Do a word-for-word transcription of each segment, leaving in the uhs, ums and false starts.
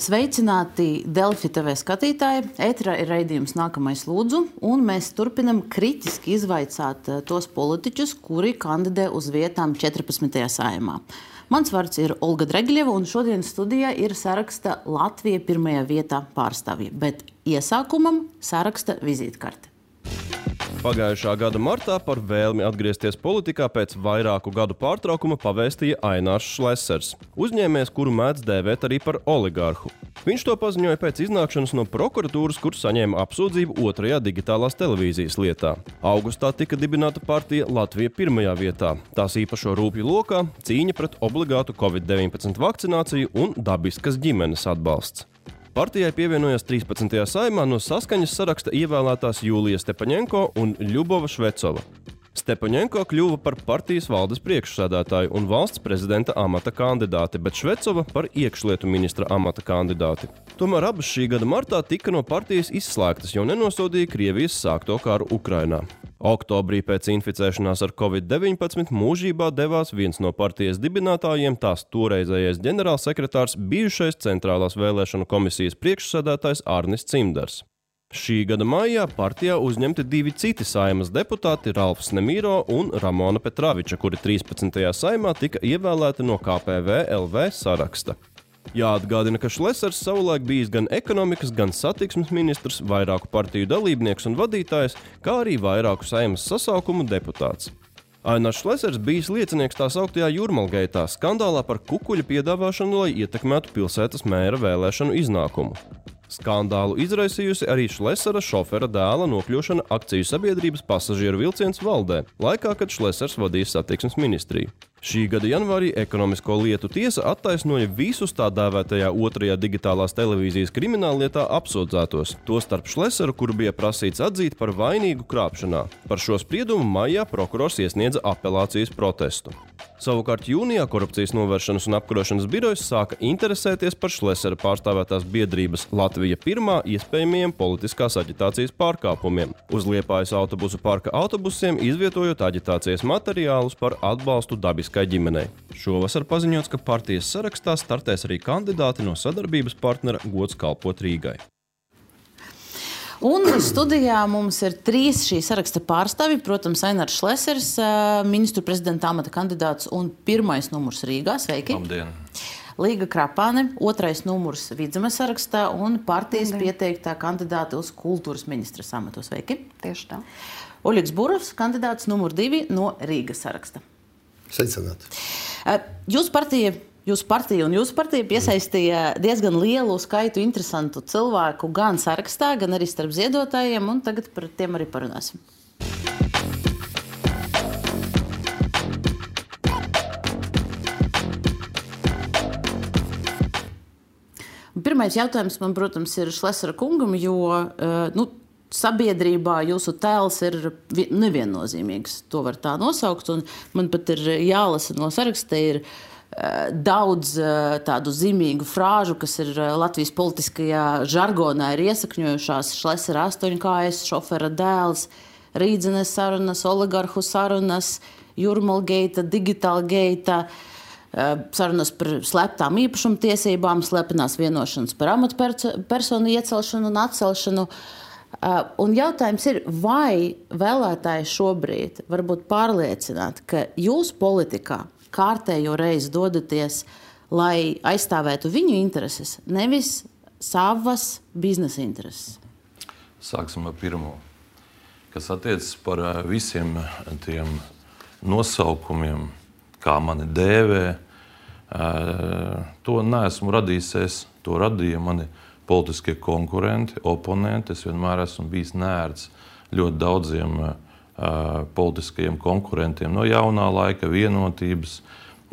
Esiet sveicināti Delfi T V skatītāji. Ēterā ir raidījums Nākamais lūdzu, un mēs turpinam kritiski izvaicāt tos politiķus, kuri kandidē uz vietām četrpadsmitajā Saeimā. Mans vārds ir Olga Dregļeva, un šodien studijā ir saraksta Latvija pirmajā vietā pārstāvji, bet iesākumam saraksta vizītkarte. Pagājušā gada martā par vēlmi atgriezties politikā pēc vairāku gadu pārtraukuma pavēstīja Ainārs Šlesers, uzņēmējs, kuru mēdz dēvēt arī par oligārhu. Viņš to paziņoja pēc iznākšanas no prokuratūras, kur saņēma apsūdzību otrajā digitālās televīzijas lietā. Augustā tika dibināta partija Latvija pirmajā vietā. Tās īpašo rūpju lokā cīņa pret obligātu covid deviņpadsmit vakcināciju un dabiskas ģimenes atbalsts. Partijai pievienojās trīspadsmitajā Saeimā no Saskaņas saraksta ievēlētās Jūlija Stepaņenko un Ļubova Švecova. Stepaņenko kļuva par partijas valdes priekšsēdētāju un valsts prezidenta amata kandidāti, bet Švecova par iekšlietu ministra amata kandidāti. Tomēr abas šī gada martā tika no partijas izslēgtas, jo nenosodīja Krievijas sākto karu Ukrainā. Oktobrī pēc inficēšanās ar covid deviņpadsmit mūžībā devās viens no partijas dibinātājiem, tās toreizējais ģenerālsekretārs, bijušais Centrālās vēlēšanu komisijas priekšsēdētājs Arnis Cimdars. Šī gada maijā partijā uzņemti divi citi Saeimas deputāti, Ralfs Nemīro un Ramona Petraviča, kuri trīspadsmitajā Saeimā tika ievēlēti no K P V L V saraksta. Jāatgādina, ka Šlesers savulaik bijis gan ekonomikas, gan satiksmes ministrs, vairāku partiju dalībnieks un vadītājs, kā arī vairāku Saeimas sasaukumu deputāts. Ainārs Šlesers bijis liecinieks tā sauktajā Jūrmalgeitā, skandālā par kukuļa piedāvāšanu, lai ietekmētu pilsētas mēra vēlēšanu iznākumu. Skandālu izraisījusi arī Šlesera šofera dēla nokļūšana akciju sabiedrības pasažieru vilciens valdē, laikā, kad Šlesers vadīja satiksmes ministriju. Šī gada janvārī ekonomisko lietu tiesa attaisnoja visus tā dēvētajā otrajā digitālās televīzijas krimināllietā apsūdzētos, tostarp Šleseru, kuru bija prasīts atzīt par vainīgu krāpšanā. Par šo spriedumu maijā prokurors iesniedza apelācijas protestu. Savukārt jūnijā Korupcijas novēršanas un apkarošanas birojas sāka interesēties par Šlesera pārstāvētās biedrības Latvija pirmā iespējamiem politiskās aģitācijas pārkāpumiem, uz Liepājas autobusu parka autobusiem izvietojot aģitācijas materiālus par atbalstu dabiskai ģimenei. Šovasar paziņots, ka partijas sarakstā startēs arī kandidāti no sadarbības partnera Gods kalpot Rīgai. Un studijā mums ir trīs šī saraksta pārstāvji, protams, Ainārs Šlesers, ministru prezidenta amata kandidāts un pirmais numurs Rīgā. Sveiki! Labdien! Līga Krapāne, otrais numurs Vidzemes sarakstā un partijas pieteiktā kandidāta uz kultūras ministras amatu. Sveiki! Tieši tā. Oļegs Burovs, kandidāts numur divi no Rīgas saraksta. Sveicināt! Jūs partija... Jūsu partija un jūsu partija piesaistīja diezgan lielu skaitu interesantu cilvēku gan sarakstā, gan arī starp ziedotājiem, un tagad par tiem arī parunāsim. Pirmais jautājums man, protams, ir Šlesera kungam, jo nu, sabiedrībā jūsu tēls ir neviennozīmīgs. To var tā nosaukt, un man pat ir jālasa no saraksta, ir daudz tādu zīmīgu frāžu, kas ir Latvijas politiskajā žargonā ir iesakņojušās: Šlesera astoņkājas, šofera dēls, Rīdzenes sarunas, oligarhu sarunas, Jūrmalgeita, digitālgeita, sarunas par slēptām īpašumtiesībām, slepenās vienošanas par amatpersonu iecelšanu un atcelšanu. Un jautājums ir, vai vēlētāji šobrīd varbūt pārliecināt, ka jūs politikā kārtējo reizi dodaties, lai aizstāvētu viņu intereses, nevis savas biznesa intereses? Sāksim ar pirmo. Kas attiecas par visiem tiem nosaukumiem, kā mani dēvē, to neesmu radījis es, to radīja mani politiskie konkurenti, oponenti. Es vienmēr esmu bijis neērts ļoti daudziem politiskajiem konkurentiem no jaunā laika, vienotības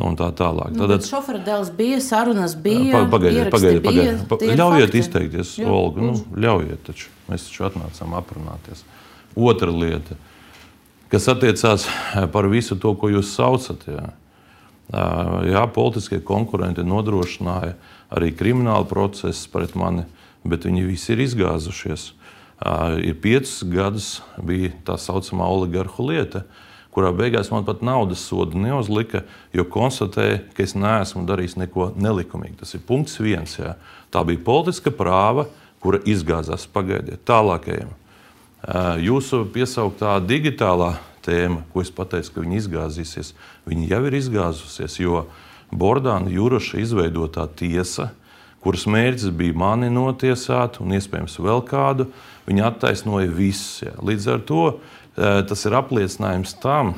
un tā tālāk. Nu, bet šofera dēls bija, sarunas bija, pagaidiet, ieraksti pagaidiet, bija. pagaidiet. Ļaujiet izteikties, Jā, Olga, nu, ļaujiet taču. Mēs taču atnācām aprunāties. Otra lieta, kas attiecās par visu to, ko jūs saucat. Jā, jā politiskie konkurenti nodrošināja arī kriminālu procesu pret mani, bet viņi visi ir izgāzušies. Ir piecus gadus bija tā saucamā oligarhu lieta, kurā beigās man pat naudas sodu neuzlika, jo konstatēja, ka es neesmu darījis neko nelikumīgi. Tas ir punkts viens. Jā. Tā bija politiska prāva, kura izgāzās. Pagaidiet, tālākajiem. Jūsu piesauktā digitālā tēma, ko es pateicu, ka viņi izgāzīsies, viņi jau ir izgāzusies, jo Bordāna Juroša izveidotā tiesa, kuras mērķis bija mani notiesāt un iespējams vēl kādu, viņi attaisnoja visus. Jā. Līdz ar to tas ir apliecinājums tam,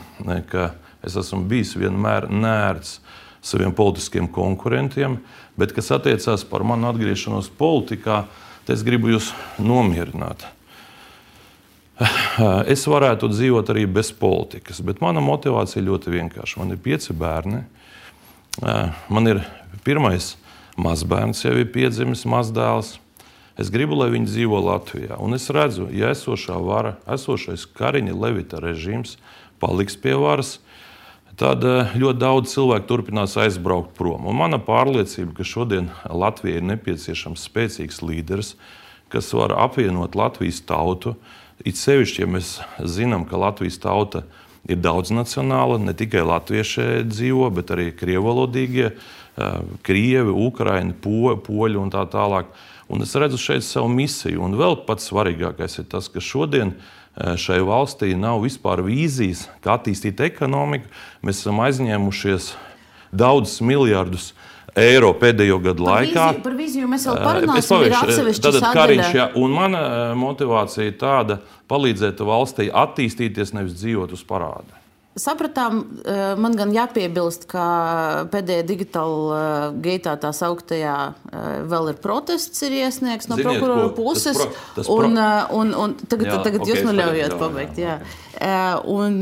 ka es esmu bijis vienmēr nērts saviem politiskiem konkurentiem, bet kas attiecās par manu atgriešanos politikā, es gribu jūs nomierināt. Es varētu dzīvot arī bez politikas, bet mana motivācija ļoti vienkārša. Man ir pieci bērni. Man ir pirmais mazbērns, jau ir piedzimis mazdēls. Es gribu, lai viņi dzīvo Latvijā. Un es redzu, ja esošā vara, esošais Kariņa Levita režīms paliks pie varas, tad ļoti daudz cilvēku turpinās aizbraukt prom. Un mana pārliecība, ka šodien Latvijai ir nepieciešams spēcīgs līderis, kas var apvienot Latvijas tautu. It sevišķi, ja mēs zinām, ka Latvijas tauta ir daudznacionāla, ne tikai latvieši dzīvo, bet arī krievalodīgie, krievi, ukraini, po, poļi un tā tālāk. Un es redzu šeit savu misiju. Un vēl pats svarīgākais ir tas, ka šodien šai valstī nav vispār vīzijas, kā attīstīt ekonomiku. Mēs esam aizņēmušies daudzus miljardus eiro pēdējo gadu par laikā. Vīziju, par vīziju mēs vēl parunāsim, ir atsevišķi sadaļa. Kariņš, ja, un mana motivācija ir tāda, palīdzēt valstī attīstīties, nevis dzīvot uz parādu. Sapratām, man gan jāpiebilst, ka pēdējā digitāla gaitā tā sauktajā vēl ir protests ir iesniegts no Ziniet, prokurora ko, puses. Tas pro, tas pro... un, un, un tagad, jā, tagad okay, jūs man ļaujat jā, pabeigt. Jā, jā. Un,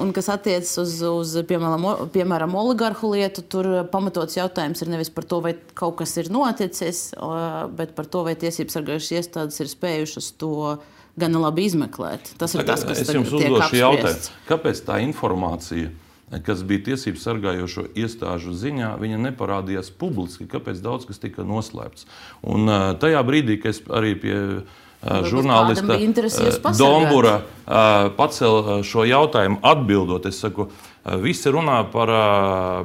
un kas attiecas uz, uz piemēram, piemēram, oligarhu lietu, tur pamatots jautājums ir nevis par to, vai kaut kas ir noticis, bet par to, vai tiesības sargājušas iestādes ir spējušas to gan labi izmeklēt. Tas ir tas, kas es jums tiek uzdošu jautājumu. apspriests. Kāpēc tā informācija, kas bija tiesības sargājošo iestāžu ziņā, viņa neparādījās publiski? Kāpēc daudz kas tika noslēpts? Un tajā brīdī, kad es arī pie žurnālista Dombura pacēlu šo jautājumu atbildot, es saku, visi runā par,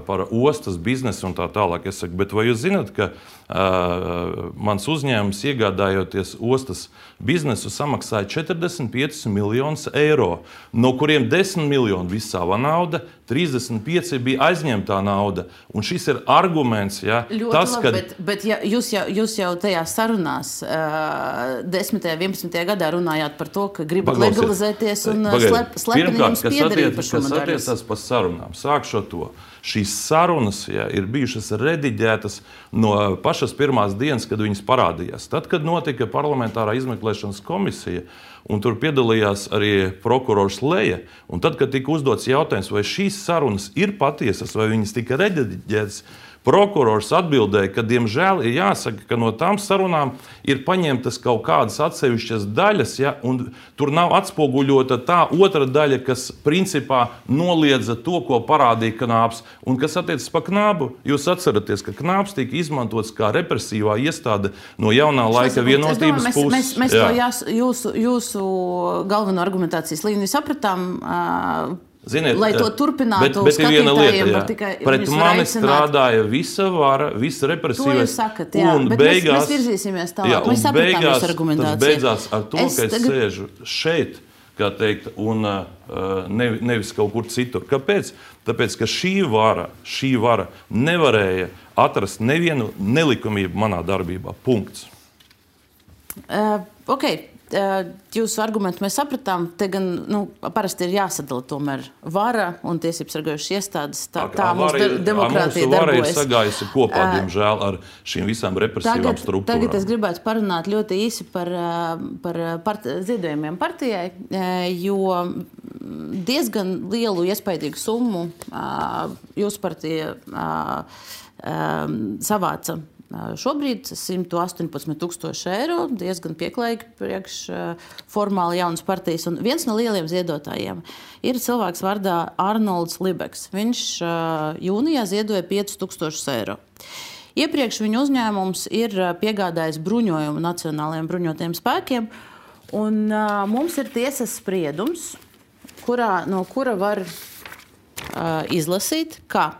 par ostas biznesu un tā tālāk. Es saku, bet vai jūs zināt, ka uh, mans uzņēmums iegādājoties ostas biznesu samaksāja četrdesmit piecus miljonus eiro, no kuriem desmit miljoni bija sava nauda, trīsdesmit pieci bija aizņemtā nauda. Un šis ir arguments, ja, ļoti tas, labi, ka... bet, bet ja, jūs, jau, jūs jau tajās sarunās uh, desmitajā, vienpadsmitajā gadā runājāt par to, ka gribat Paglausiet. legalizēties un slep, slepeni jums piederība par šo Kas attiecas par sarunām, sākšu to. Šīs sarunas ja, ir bijušas rediģētas no pašas pirmās dienas, kad viņas parādījās. Tad, kad notika parlamentārā izmeklēšanas komisija, un tur piedalījās arī prokurors Leja, un tad, kad tika uzdots jautājums, vai šīs sarunas ir patiesas, vai viņas tika rediģētas, prokurors atbildēja, ka, diemžēl, ir jāsaka, ka no tām sarunām ir paņemtas kaut kādas atsevišķas daļas, ja, un tur nav atspoguļota tā otra daļa, kas principā noliedza to, ko parādīja Knāps. Un kas attiecas pa Knābu, jūs atceraties, ka Knāps tika izmantots kā represīvā iestāde no jaunā laika vienotības mēs, puses. Mēs, mēs to jās, jūsu, jūsu galveno argumentācijas līniju sapratām. Uh, Ziniet, lai to turpinātu, bet, bet ir viena lieta, jā. Tikai, pret mani strādāja visa vara, visa represīvais. To jūs sakat, jā, un bet beigās, mēs, mēs virzīsimies tālāk. Jā, mēs sapratām beigās, jūsu argumentāciju. Tas beidzās ar to, es ka es tagad... sēžu šeit, kā teikt, un uh, nev, nevis kaut kur citur. Kāpēc? Tāpēc, ka šī vara, šī vara nevarēja atrast nevienu nelikumību manā darbībā. Punkts. Uh, ok. Jūsu argumentu mēs sapratām, te gan nu, parasti ir jāsadala tomēr vara un tiesības sargājušas iestādes. Tā, tā mūsu de demokrātija darbojas. Vara ir sagājusi kopā, diemžēl, ar šīm visām represīvām tagad, struktūrām. Tagad es gribētu parunāt ļoti īsi par, par part ziedojumiem partijai, jo diezgan lielu iespaidīgu summu jūsu partija savāca. Šobrīd simt astoņpadsmit tūkstoši eiro, diezgan pieklājīgi priekš formāli jaunas partijas. Un viens no lieliem ziedotājiem ir cilvēks vārdā Arnolds Libeks. Viņš jūnijā ziedoja piecus tūkstošus eiro. Iepriekš viņa uzņēmums ir piegādājis bruņojumu nacionālajiem bruņotajiem spēkiem. Un mums ir tiesas spriedums, kurā, no kura var uh, izlasīt, ka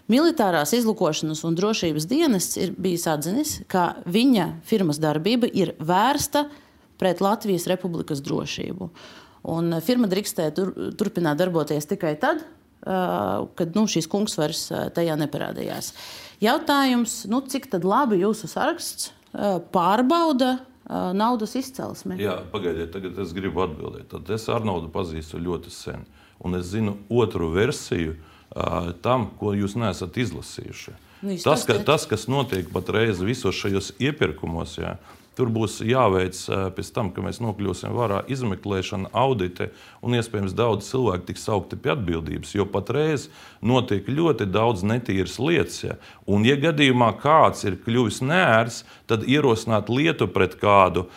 Militārās izlūkošanas un drošības dienests ir bijis atzinis, ka viņa firmas darbība ir vērsta pret Latvijas Republikas drošību. Un firma drīkstēja tur, turpināt darboties tikai tad, uh, kad nu, šīs kungs vairs uh, tajā neparādījās. Jautājums, nu, cik tad labi jūsu saraksts uh, pārbauda uh, naudas izcelsmi? Jā, pagaidiet, tagad es gribu atbildēt. Tad es Arnoldu pazīstu ļoti sen. Un es zinu otru versiju, tam, ko jūs neesat izlasījuši. Nu, tas, ka, tas, kas notiek patreiz visos šajos iepirkumos, jā, tur būs jāveic pēc tam, ka mēs nokļūsim varā izmeklēšana, audite un iespējams daudz cilvēku tiks saukti pie atbildības, jo patreiz notiek ļoti daudz netīras lietas. Ja? Un, ja gadījumā kāds ir kļuvis neērs, tad ierosināt lietu pret kādu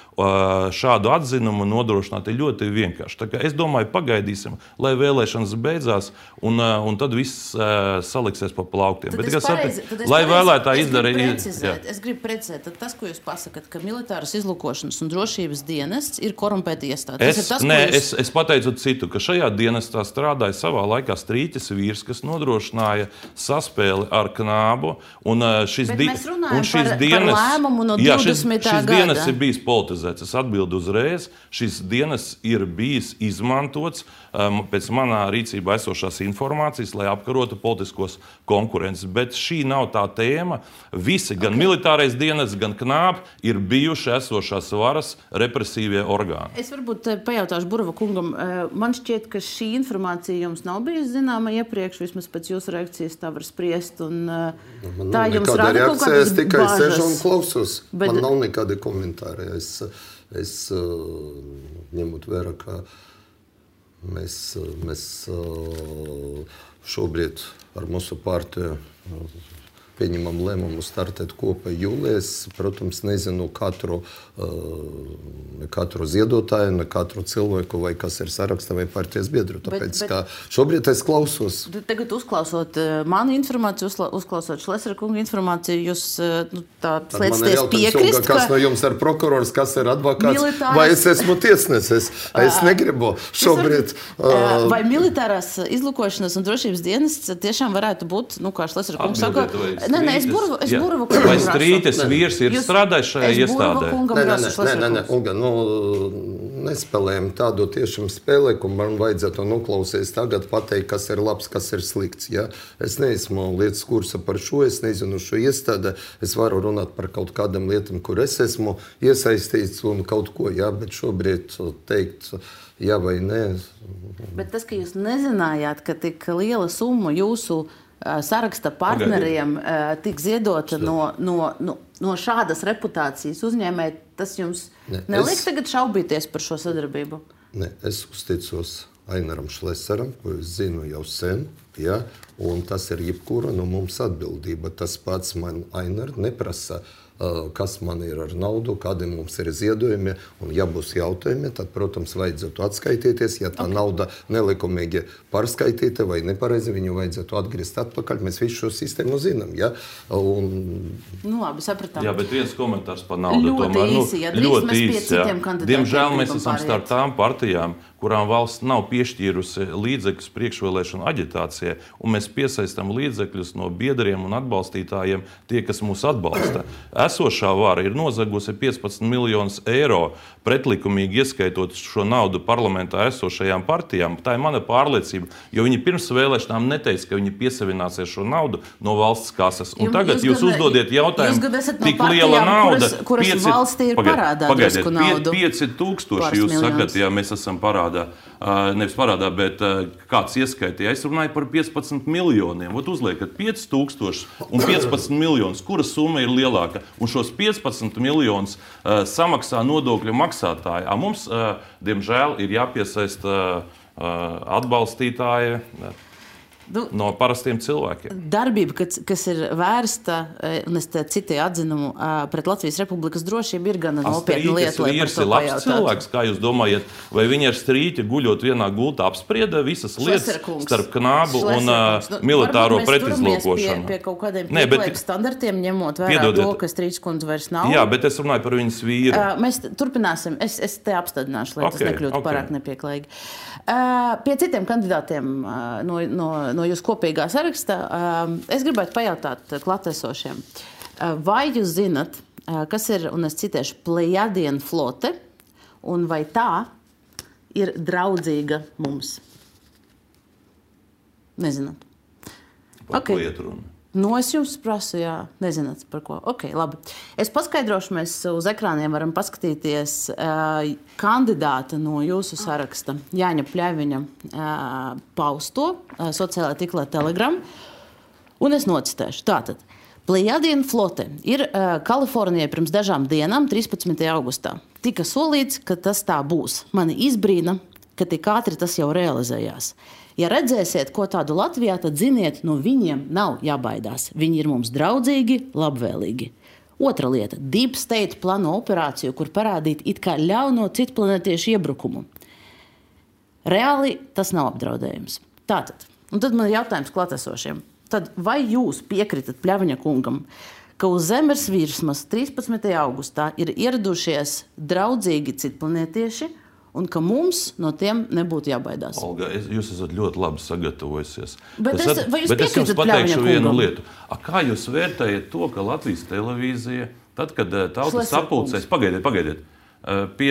šādu atzinumu nodrošināt ir ļoti vienkārši. Tā kā es domāju, pagaidīsim, lai vēlēšanas beidzās, un, un tad viss saliksies pa plauktiem. Tad Bet, es pareizi, tad es lai pareizi, vēlētāji es izdara... Gribu precizēt, es gribu precizēt, tad tas, ko jūs pasakat, ka Militāras izlūkošanas un drošības dienests ir korumpēta iestāde. Es, tas ir tas, nē, jūs... es, es pateicu citu, ka šajā dienestā strādāja savā laikā Strīķis vīrs, kas nodrošināja saspēli ar Knābu. Un šis, di un šis par, dienests, par lēmumu no jā, šis, divdesmitā šis dienests ir bijis politizēts. Es atbildu uzreiz. Šis dienests ir bijis izmantots um, pēc manā rīcībā esošās informācijas, lai apkarotu politiskos konkurences. Bet šī nav tā tēma. Visi, gan okay. militārais dienests, gan Knāb ir bijuši esošās varas represīvie orgāni. Es varbūt pajautāšu Burva kungam. Man šķiet, ka šī informācija jums nav bijusi zināma iepriekš, vismaz pēc jūsu reakcijas tā var spriest. Un, man tā nav jums nekāda rada kaut kādas reakcija, es tikai bāžas. sežu un klausos. Bet... Man nav nekādi komentāri. Es, es ņemot vērā, ka mēs, mēs šobrīd ar mūsu partiju pieņemam lēmumu startēt kopā jūlijā. Es, protams, nezinu katru, ne katru ziedotāju, ne katru cilvēku, vai kas ir sarakstā, vai partijas biedru. Tāpēc, bet, bet, šobrīd es klausos. Tagad uzklausot manu informāciju, uzklausot Šlesera kunga informāciju, jūs nu, tā slēdzties piekrist, ka... Kas no jums ir prokurors, kas ir advokāts, militārs... vai es esmu tiesnesis? Es negribu šobrīd... Var... Vai militārās izlūkošanas un drošības dienests tiešām varētu būt, nu, kā Šlesera kungs saka... Nē, nē, es Burva, es Burva kungam vai Strītes vīrs ir strādājis šajā iestādē? Nē, nē, nē, nē, nē, Olga, nu, nespēlējam tādu tiešām spēlē, ko man vajadzētu noklausīties tagad pateikt, kas ir labs, kas ir slikts. Ja? Es neesmu lietas kursa par šo, es nezinu šo iestādi, es varu runāt par kaut kādām lietām, kur es esmu iesaistīts un kaut ko, ja? Bet šobrīd teikt jā vai nē. Bet tas, ka jūs nezinājāt, ka tik liela summa jūsu saraksta partneriem uh, tik ziedota no, no, no, no šādas reputācijas uzņēmēji, tas jums ne, neliek es, tagad šaubīties par šo sadarbību? Ne, es uzticos Ainaram Šleseram, ko es zinu jau sen, ja, un tas ir jebkura no mums atbildība. Tas pats man Ainar neprasa, kas man ir ar naudu, kādi mums ir ziedojumi, un ja būs jautājumi, tad, protams, vajadzētu atskaitīties, ja tā okay. nauda nelikumīgi pārskaitīta vai nepareizi, viņu vajadzētu atgriezt atpakaļ, mēs visu šo sistēmu zinām, ja, un... Nu, labi, sapratām. Jā, bet viens komentārs par naudu ļoti tomēr, nu, īsi, ja ļoti īsi, īsi, jā. Diemžēl mēs esam starp tām partijām, kurām valsts nav piešķīrusi līdzekļus priekšvēlēšanu aģitācijai, un mēs piesaistam līdzekļus no biedriem un atbalstītājiem, tie, kas mūs atbalsta. Esošā vara ir nozagusi piecpadsmit miljonus eiro, pretlikumīgi ieskaitot šo naudu parlamentā esošajām partijām. Tā ir mana pārliecība, jo viņi pirms vēlēšanām neteica, ka viņi piesavināsies šo naudu no valsts kases. Un Jum, tagad jūs, jūs uzdodiet jautājumu, tik liela nauda, kuras, kuras pieci, valstī ir parādā pagaidiet, drusku naudu. pieci tūkstoši jūs sakat, ja mēs esam parādā. Nevis parādā, bet kāds ieskaitīja. Es runāju par piecpadsmit miljoniem. Ot uzliekat pieci tūkstoši un piecpadsmit miljonus. Kura summa ir lielāka? Un šos piecpadsmit miljonus uh, samaksā nodokļu maksātāji. A mums, uh, diemžēl, ir jāpiesaista uh, atbalstītāji. nu, no parastiem cilvēkiem. Darbība, kas, kas ir vērsta, un es te citēju atzinumu, pret Latvijas Republikas drošību, ir gan nopietna lieta, lai par to labs cilvēks, kā jūs domājat, vai viņi ar strīķi guļot vienā gultā apsprieda visas lietas starp knābu un uh, militāro pretizlūkošanu? Pie, pie kaut kādiem pieklājiem standartiem, ņemot vērā Piedodiet. To, ka Strīčkundze vairs nav. Jā, bet es runāju par viņas vīru. Uh, mēs turpināsim. Es, es te apstādināšu, lai okay, tas nekļūtu okay. pārāk nepieklājīgi. Uh, pie citiem kandidātiem uh, no, no, no jūsu kopīgā saraksta uh, es gribētu pajautāt klātesošiem. Uh, vai jūs zinat, uh, kas ir, un es citēšu, Plejadienu flote, un vai tā ir draudzīga mums? Nezināt. Par okay. ko iet runa? Nu, es jums prasu, jā, nezināt par ko. Ok, labi. Es paskaidrošu, mēs uz ekrāniem varam paskatīties uh, kandidāta no jūsu saraksta, Jāņa Pļaviņa uh, pausto uh, sociālajā tīklā Telegram, un es nocitēšu. Tātad, Plejadienu flote ir uh, Kalifornijai pirms dažām dienām, trīspadsmitajā augustā. Tika solīts, ka tas tā būs. Mani izbrīna, ka tik ātri tas jau realizējās. Ja redzēsiet, ko tādu Latvijā, tad ziniet, no viņiem nav jābaidās. Viņi ir mums draudzīgi, labvēlīgi. Otra lieta – Deep State plāno operāciju, kur parādīt it kā ļauno citplanētiešu iebrukumu. Reāli tas nav apdraudējums. Tātad, un tad man ir jautājums klātesošiem. Tad vai jūs piekritat Pļaviņa kungam, ka uz Zemes virsmas trīspadsmitajā augustā ir ieradušies draudzīgi citplanētieši, un ka mums no tiem nebūtu jābaidās? Olga, es, jūs esat ļoti labi sagatavojusies. Bet es, vai jūs bet es jums pateikšu kungam? Vienu lietu. A, kā jūs vērtējat to, ka Latvijas televīzija, tad, kad tauta sapulcēs, pagaidiet, pagaidiet, pie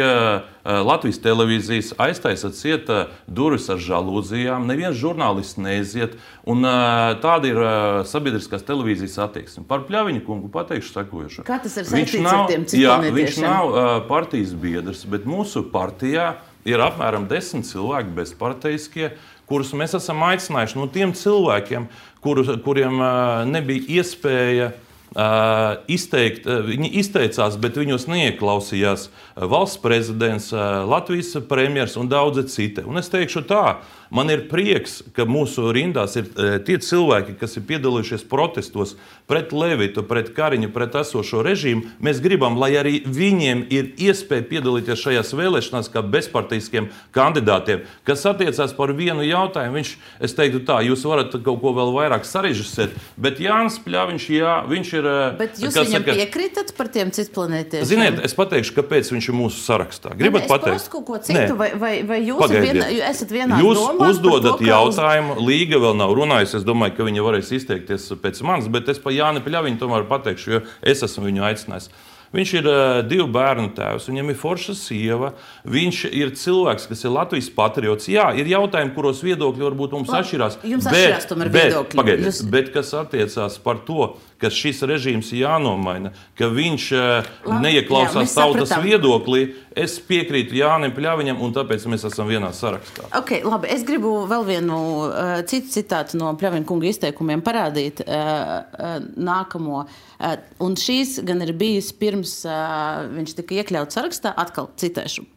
Latvijas televīzijas aiztaisat cieta durvis ar žalūzijām, neviens žurnālists neiziet, un tāda ir sabiedriskās televīzijas attieksme. Par Pļaviņa kungu pateikšu sekojošo. Kā tas ir saistīts ar tiem citplanētiešiem? Viņš nav partijas biedrs, bet mūsu partijā ir apmēram desmit cilvēki bezparteiskie, kurus mēs esam aicinājuši no tiem cilvēkiem, kur, kuriem nebija iespēja Uh, izteikt, uh, viņi izteicās, bet viņos neieklausījās uh, valsts prezidents, uh, Latvijas premjers un daudzi citi. Un es teikšu tā, man ir prieks, ka mūsu rindās ir uh, tie cilvēki, kas ir piedalījušies protestos pret Levitu, pret Kariņu, pret esošo režīmu. Mēs gribam, lai arī viņiem ir iespēja piedalīties šajās vēlēšanās kā bezpartijiskiem kandidātiem, kas attiecās par vienu jautājumu. Viņš, es teiktu tā, jūs varat kaut ko vēl vairāk sarežisēt, bet Jānis Pļaviņš, jā, viņš ir Bet jūs viņam saka, piekritat par tiem citplanētiešiem? Ziniet, es pateikšu, kāpēc viņš ir mūsu sarakstā. Gribat ne, pateikt? Es kaut ko citu, vai, vai, vai jūs vien, esat vienā jūs domās? Jūs uzdodat to, jautājumu, uz... Līga vēl nav runājusi, es domāju, ka viņa varēs izteikties pēc manis, bet es pa Jāni Pļaviņu tomēr pateikšu, jo es esmu viņu aicinājis. Viņš ir uh, divu bērnu tēvs, viņam ir forša sieva, viņš ir cilvēks, kas ir Latvijas patriots. Jā, ir jautājumi, kuros viedokļi varbūt mums La, atšķirās. Jums bet, atšķirās tomēr viedokļi. Pagaidiet, Jūs... bet kas attiecās par to, ka šis režīms jānomaina, ka viņš uh, neieklausās jā, tautas sapratām. Viedoklī, es piekrītu Jānim Pļaviņam, un tāpēc mēs esam vienā sarakstā. Ok, labi, es gribu vēl vienu uh, citu citātu no Pļaviņa kunga izteikumiem parādīt uh, uh, nākamo. Uh, un šīs gan ir bijis pirms uh, viņš tika iekļauts sarakstā, atkal citēšu.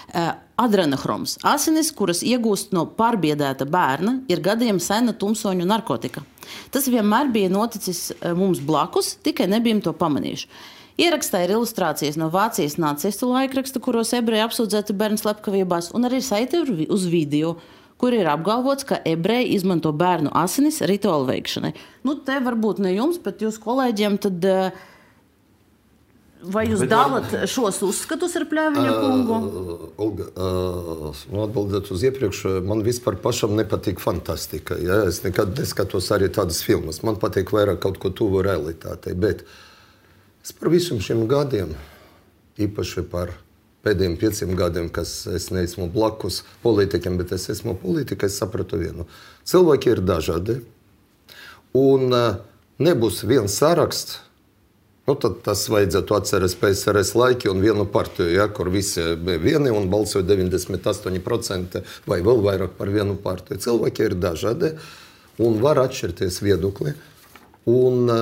Uh, Adrenohroms – asinis, kuras iegūst no pārbiedēta bērna, ir gadiem sena tumsoņu narkotika. Tas vienmēr bija noticis uh, mums blakus, tikai nebijam to pamanījuši. Ierakstā ir ilustrācijas no Vācijas nacistu laikraksta, kuros ebreji apsūdzēti bērnu slepkavībās, un arī saiti uz video, kur ir apgalvots, ka ebreji izmanto bērnu asinis rituālu veikšanai. Nu, te varbūt ne jums, bet jūs kolēģiem tad... Uh, Vai jūs bet, dalat šos uzskatus ar Pļaviņa kungu? Uh, Olga, uh, nu atbildot uz iepriekš, man vispār pašam nepatīk fantastika. Ja? Es nekad neskatos arī tādas filmas. Man patīk vairāk kaut ko tuvu realitātei. Bet es par visiem šiem gadiem, īpaši par pēdējiem pieciem gadiem, kas es neesmu blakus politikiem, bet es esmu politika, es sapratu vienu. Cilvēki ir dažādi. Un uh, nebūs viens saraksts. Nu, tad tas vajadzētu atceres P S R S laiki un vienu partiju, ja, kur visi bija vieni un balsoja deviņdesmit astoņi procenti vai vēl vairāk par vienu partiju. Cilvēki ir dažādi un var atšķirties viedokli. Un,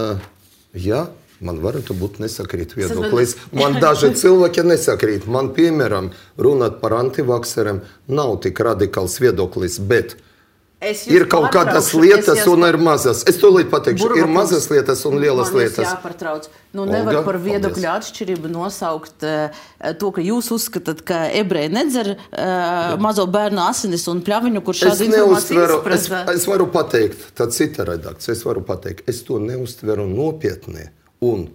jā, man varētu būt nesakrīt viedoklis. Man daži cilvēki nesakrīt. Man, piemēram, runāt par antivakseriem nav tik radikāls viedoklis, bet Ir kaut kādas lietas un ir mazas. Es to līdz pateikšu. Ir mazas lietas un lielas man lietas. Jāpartrauc. Nu, nevar par viedokļu atšķirību nosaukt uh, to, ka jūs uzskatāt, ka ebreji nedzer uh, mazo bērnu asinis un pļaviņu, kur šādu informāciju izprasa. Es, es varu pateikt, tā cita redakcija, es varu pateikt, es to neuztveru nopietni. Un,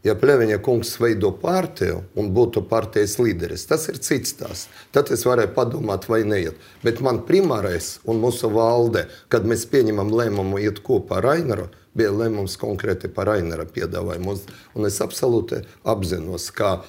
ja Pļaviņa kungs veido partiju un būtu partijas līderis, tas ir cits tās. Tad es varēju padomāt, vai neiet. Bet man primārais un mūsu valde, kad mēs pieņemam lēmumu iet kopā ar Ainaru, bija lēmums konkrēti par Ainara piedāvājumu. Un es absolūti apzinos, ka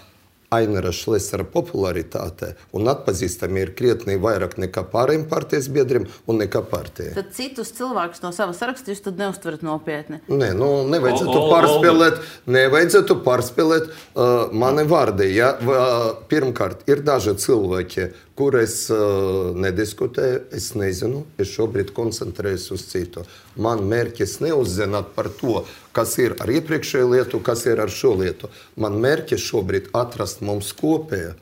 Ainara Šlesera popularitāte un atpazīstami ir krietni vairāk nekā pārējiem partijas biedriem un nekā partijai. Tad citus cilvēkus no sava saraksta jūs tad neuztverat nopietni? Nē, nu, nevajadzētu pārspēlēt, nevajadzētu pārspēlēt uh, mani vārdi. Ja? Uh, pirmkārt, ir daži cilvēki, kur es uh, nediskutēju, es nezinu, es šobrīd koncentrējos uz citu. Man mērķis neuzzināt par to, kas ir ar iepriekšēju lietu, kas ir ar šo lietu. Man mērķis šobrīd atrast mums kopēju.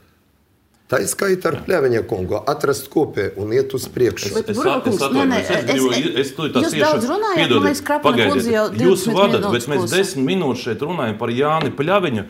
Tā ir skaita ar Pļaviņa kungu, atrast kopēju un iet uz priekšu. Es, es, es, es, es, es daudz runājāt, man liekas, Krapana kundze jau jūs vadat, bet mēs desmit minūtes šeit runājam par Jāni Pļaviņu,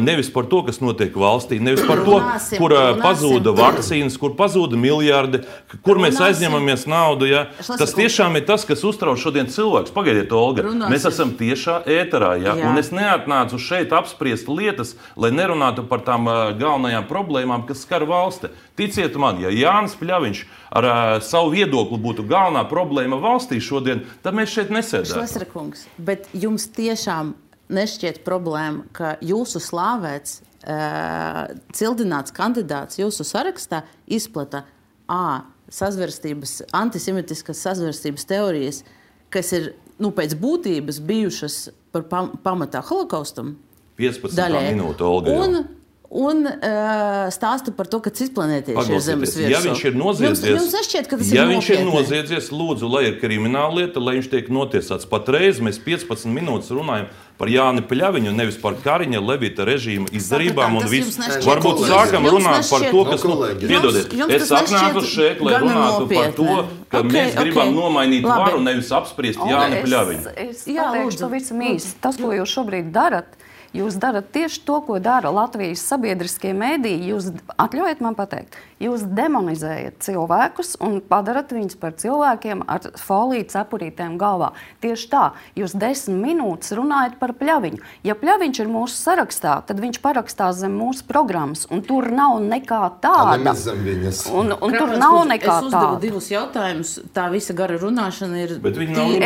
nevis par to, kas notiek valstī, nevis par to, runāsim, kur runāsim. Pazūda vakcīnas, kur pazūda miljardi, kur runāsim. Mēs aizņemamies naudu. Ja? Tas tiešām ir tas, kas uztrauc šodien cilvēks. Pagaidiet, Olga, runāsim. Mēs esam tiešā ēterā, ja? Un es neatnācu šeit apspriest lietas, lai nerunātu par tām galvenajām problēmām, kas skar valsti. Ticiet man, ja Jānis Pļaviņš ar uh, savu viedokli būtu galvenā problēma valstī šodien, tad mēs šeit nesēdētu. Šlesera kungs, bet jums tiešām nešķiet problēma, ka jūsu slāvēts, uh, cildināts kandidāts jūsu sarakstā izplata A, sazverstības, antisemītiskas sazverstības teorijas, kas ir, nu, pēc būtības bijušas par pam pamatā holokaustam. piecpadsmitā minūte, Olga. Un, un uh, stāsta par to, ka cisplanētieši ir zemes virsū. Ja viņš ir noziedzies, jums, jums nešķiet, ka tas ja ir viņš ir noziedzies, lūdzu, lai ir krimināla lieta, lai viņš tiek notiesāts. Patreiz mēs piecpadsmit minūtes runājam par Jāni Pļaviņu, nevis par Kariņa Levita režīma izdarībām un visu. Varbūt sākam runāt par to, kas... Nu, piedodiet, es atnāku šeit, lai runātu par to, ka okay, mēs gribam okay. nomainīt Labi. varu, nevis apspriest Jāni Pļaviņu. Es, es pateikšu pavisam īsi. Tas, ko jūs šobrīd darat, jūs darat tieši to, ko dara Latvijas sabiedriskie mēdīji. Jūs atļaujiet man pateikt, jūs demonizējat cilvēkus un padarat viņus par cilvēkiem ar foliju cepurītēm galvā. Tieši tā, jūs desmit minūtes runājat par Pļaviņu. Ja Pļaviņš ir mūsu sarakstā, tad viņš parakstās zem mūsu programmas, un tur nav nekā tāda. Un, un tur nav nekā tāda. Es uzdevu divus jautājumus, tā visa gara runāšana ir...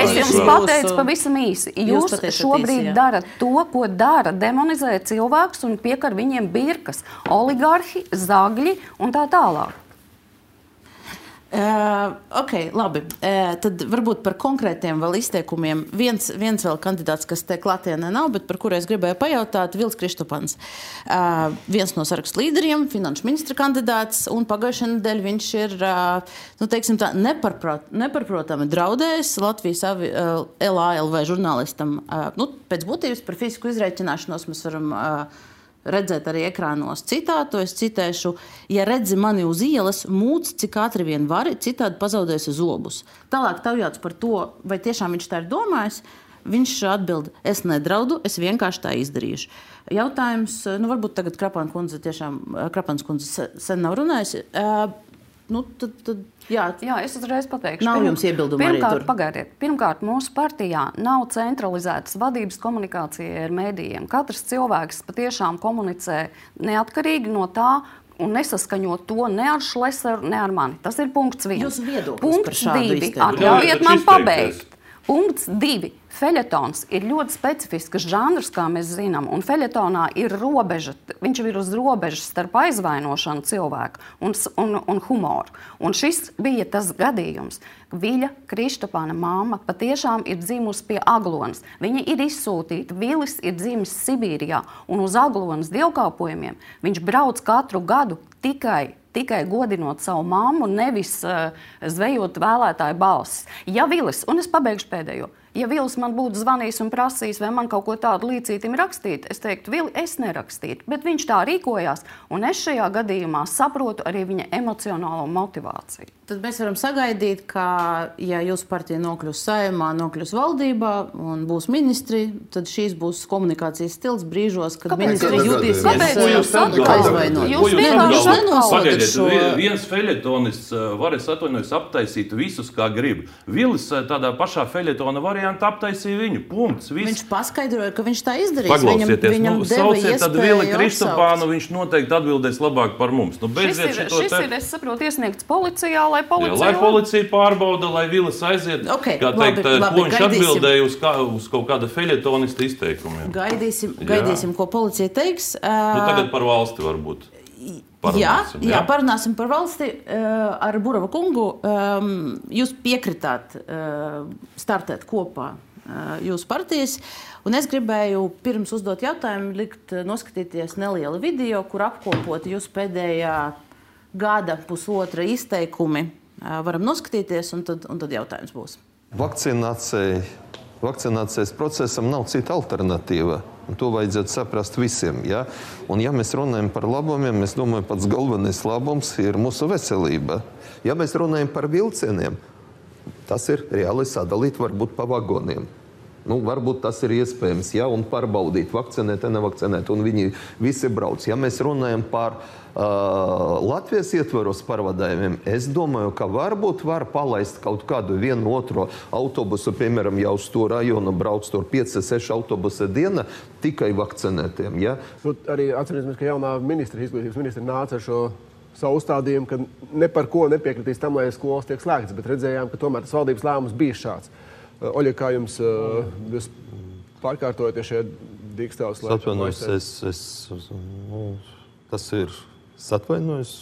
Es jums pateicu pavisam īsi. Jūs, jūs šobrīd īsi, darat to, ko dara, demonizē cilvēkus un piekar viņiem birkas. Oligarhi, zagļi un tā tā. Tālāk. Uh, ok, labi. Uh, tad varbūt par konkrētiem vēl izteikumiem. Viens, viens vēl kandidāts, kas te klātienē nav, bet par kuru es gribēju pajautāt, Vils Kristupans. Uh, viens no sarakstu līderiem, finanšu ministra kandidāts, un pagājušajā nedēļā viņš ir, uh, nu, teiksim tā, neparprot, neparprotami draudējis Latvijas avi, uh, L A L V žurnālistam. Uh, nu, pēc būtības par fizisku izreikināšanos mēs varam... Uh, redzēt arī ekrānos citātu. Es citēšu, ja redzi mani uz ielas, mūc, cik ātri vien vari, citādi pazaudēsi zobus. Tālāk taujāts par to, vai tiešām viņš tā ir domājis, viņš atbild, es nedraudu, es vienkārši tā izdarīšu. Jautājums, nu varbūt tagad Krapana kundze tiešām, Krapanas kundze sen nav runājusi. Uh, nu, tad, tad, jā. jā, es uzreiz pateikšu. Nav jums iebildumi arī tur? Pagaidiet, pirmkārt, mūsu partijā nav centralizētas vadības komunikācija ar mēdījiem. Katrs cilvēks patiešām komunicē neatkarīgi no tā, un nesaskaņo to ne ar Šleseru, ne ar mani. Tas ir punkts viens. Jūsu viedoklis punkts par šādu divi. Atļaujiet man pabeigt. Punkts divi. Feļetons ir ļoti specifisks žanrs, kā mēs zinām, un feļetonā ir robeža, viņš ir uz robežas starp aizvainošanu cilvēku un, un, un humoru. Un šis bija tas gadījums. Viļa Kristupāna mamma patiešām ir dzimusi pie Aglonas. Viņa ir izsūtīta, Vilis ir dzimis Sibīrijā, un uz Aglonas dievkalpojumiem viņš brauc katru gadu tikai tikai godinot savu mammu, nevis uh, zvejot vēlētāju balsis. Ja Vilis, un es pabeigšu pēdējo, Ja Vils man būtu zvanījis un prasījis, vai man kaut ko tādu līdzītim rakstīt, es teiktu, Vili, es nerakstītu. Bet viņš tā rīkojās, un es šajā gadījumā saprotu arī viņa emocionālo motivāciju. Tad mēs varam sagaidīt, ka, ja jūsu partija nokļūs Saeimā, nokļūs valdībā un būs ministri, tad šīs būs komunikācijas stils brīžos, kad Kāpēc? ministri jutīsies aizvainot. Jūs vienkārši Pagaidiet, šo... viens feļetonists var, es atvainojos, aptaisīt visus, kā grib. Vilis tādā pašā feļetona variantā aptaisīja viņu. Punkts. Viss. Viņš paskaidroja, ka viņš tā izdarīs. Paklausieties, viņam, nu, sauciet tad Vili Kristopānu, viņš noteikti atbildēs labāk par mums. Nu, šis ir, šis te... ir, es saprotu, iesniegts policijā, lai policija... Jā, lai policija pārbauda, lai Vilis aiziet, okay, kā teikt, labi, labi, ko viņš gaidīsim. Atbildēja uz, kā, uz kaut kāda feļetonista izteikumiem. Gaidīsim, gaidīsim ko policija teiks. Nu, tagad par valsti varbūt. Jā, jā, jā, parunāsim par valsti ar Burava kungu. Jūs piekritāt startēt kopā jūsu partijas. Un es gribēju pirms uzdot jautājumu likt noskatīties nelielu video, kur apkopot jūsu pēdējā gada pusotra izteikumi. Varam noskatīties, un tad, un tad jautājums būs. Vakcinācija, vakcinācijas procesam nav cita alternatīva. Un to vajadzētu saprast visiem. Ja? Un ja mēs runājam par labumiem, es domāju, pats galvenais labums ir mūsu veselība. Ja mēs runājam par vilcieniem, tas ir reāli sadalīt varbūt pa vagoniem. Nu, varbūt tas ir iespējams, ja, un pārbaudīt, vakcinēt, nevakcinēt, un viņi visi brauc. Ja mēs runājam par uh, Latvijas ietvaros pārvadājumiem, es domāju, ka varbūt var palaist kaut kādu vienu otro autobusu, piemēram, jau uz to rajonu brauc tur pieci seši autobusi diena tikai vakcinētiem. Ja? Nu, arī atcerēsimies, ka jaunā ministra, izglītības ministra nāca ar šo savu uzstādījumu, ka ne par ko nepiekritīs tam, lai skolas tiek slēgtas, bet redzējām, ka tomēr tas valdības lēmums bija šāds. Oļa, kā jums jūs pārkārtojaties šajā dīkstāvas laikā? Atvainojos, es, es, nu, tas ir atvainojos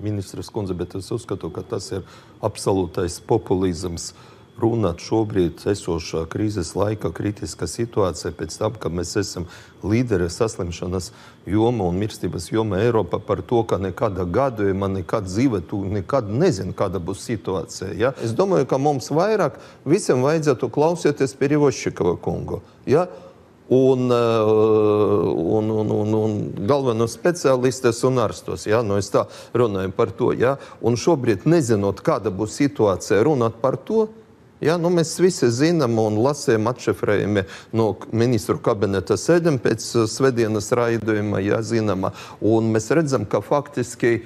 ministras kundze, bet es uzskatu, ka tas ir absolūtais populizms runāt šobrīd esošā krīzes laika kritiskā situācija pēc tam, ka mēs esam līderi saslimšanas joma un mirstības joma Eiropā par to, ka nekāda gadījuma, nekāda dzīve, tu nekad nezin, kāda būs situācija. Ja? Es domāju, ka mums vairāk visiem vajadzētu klausieties Perivoščikova kungu. Ja? Un, un, un, un, un galvenos speciālistes un ārstos. Ja? Nu, es tā runāju par to. Ja? Un šobrīd, nezinot, kāda būs situācija, runāt par to, ja, nu, mēs visi zinām un lasījām atšifrējumi no ministru kabineta sēdēm pēc svētdienas raidījuma, ja, zināmā. Un mēs redzam, ka faktiski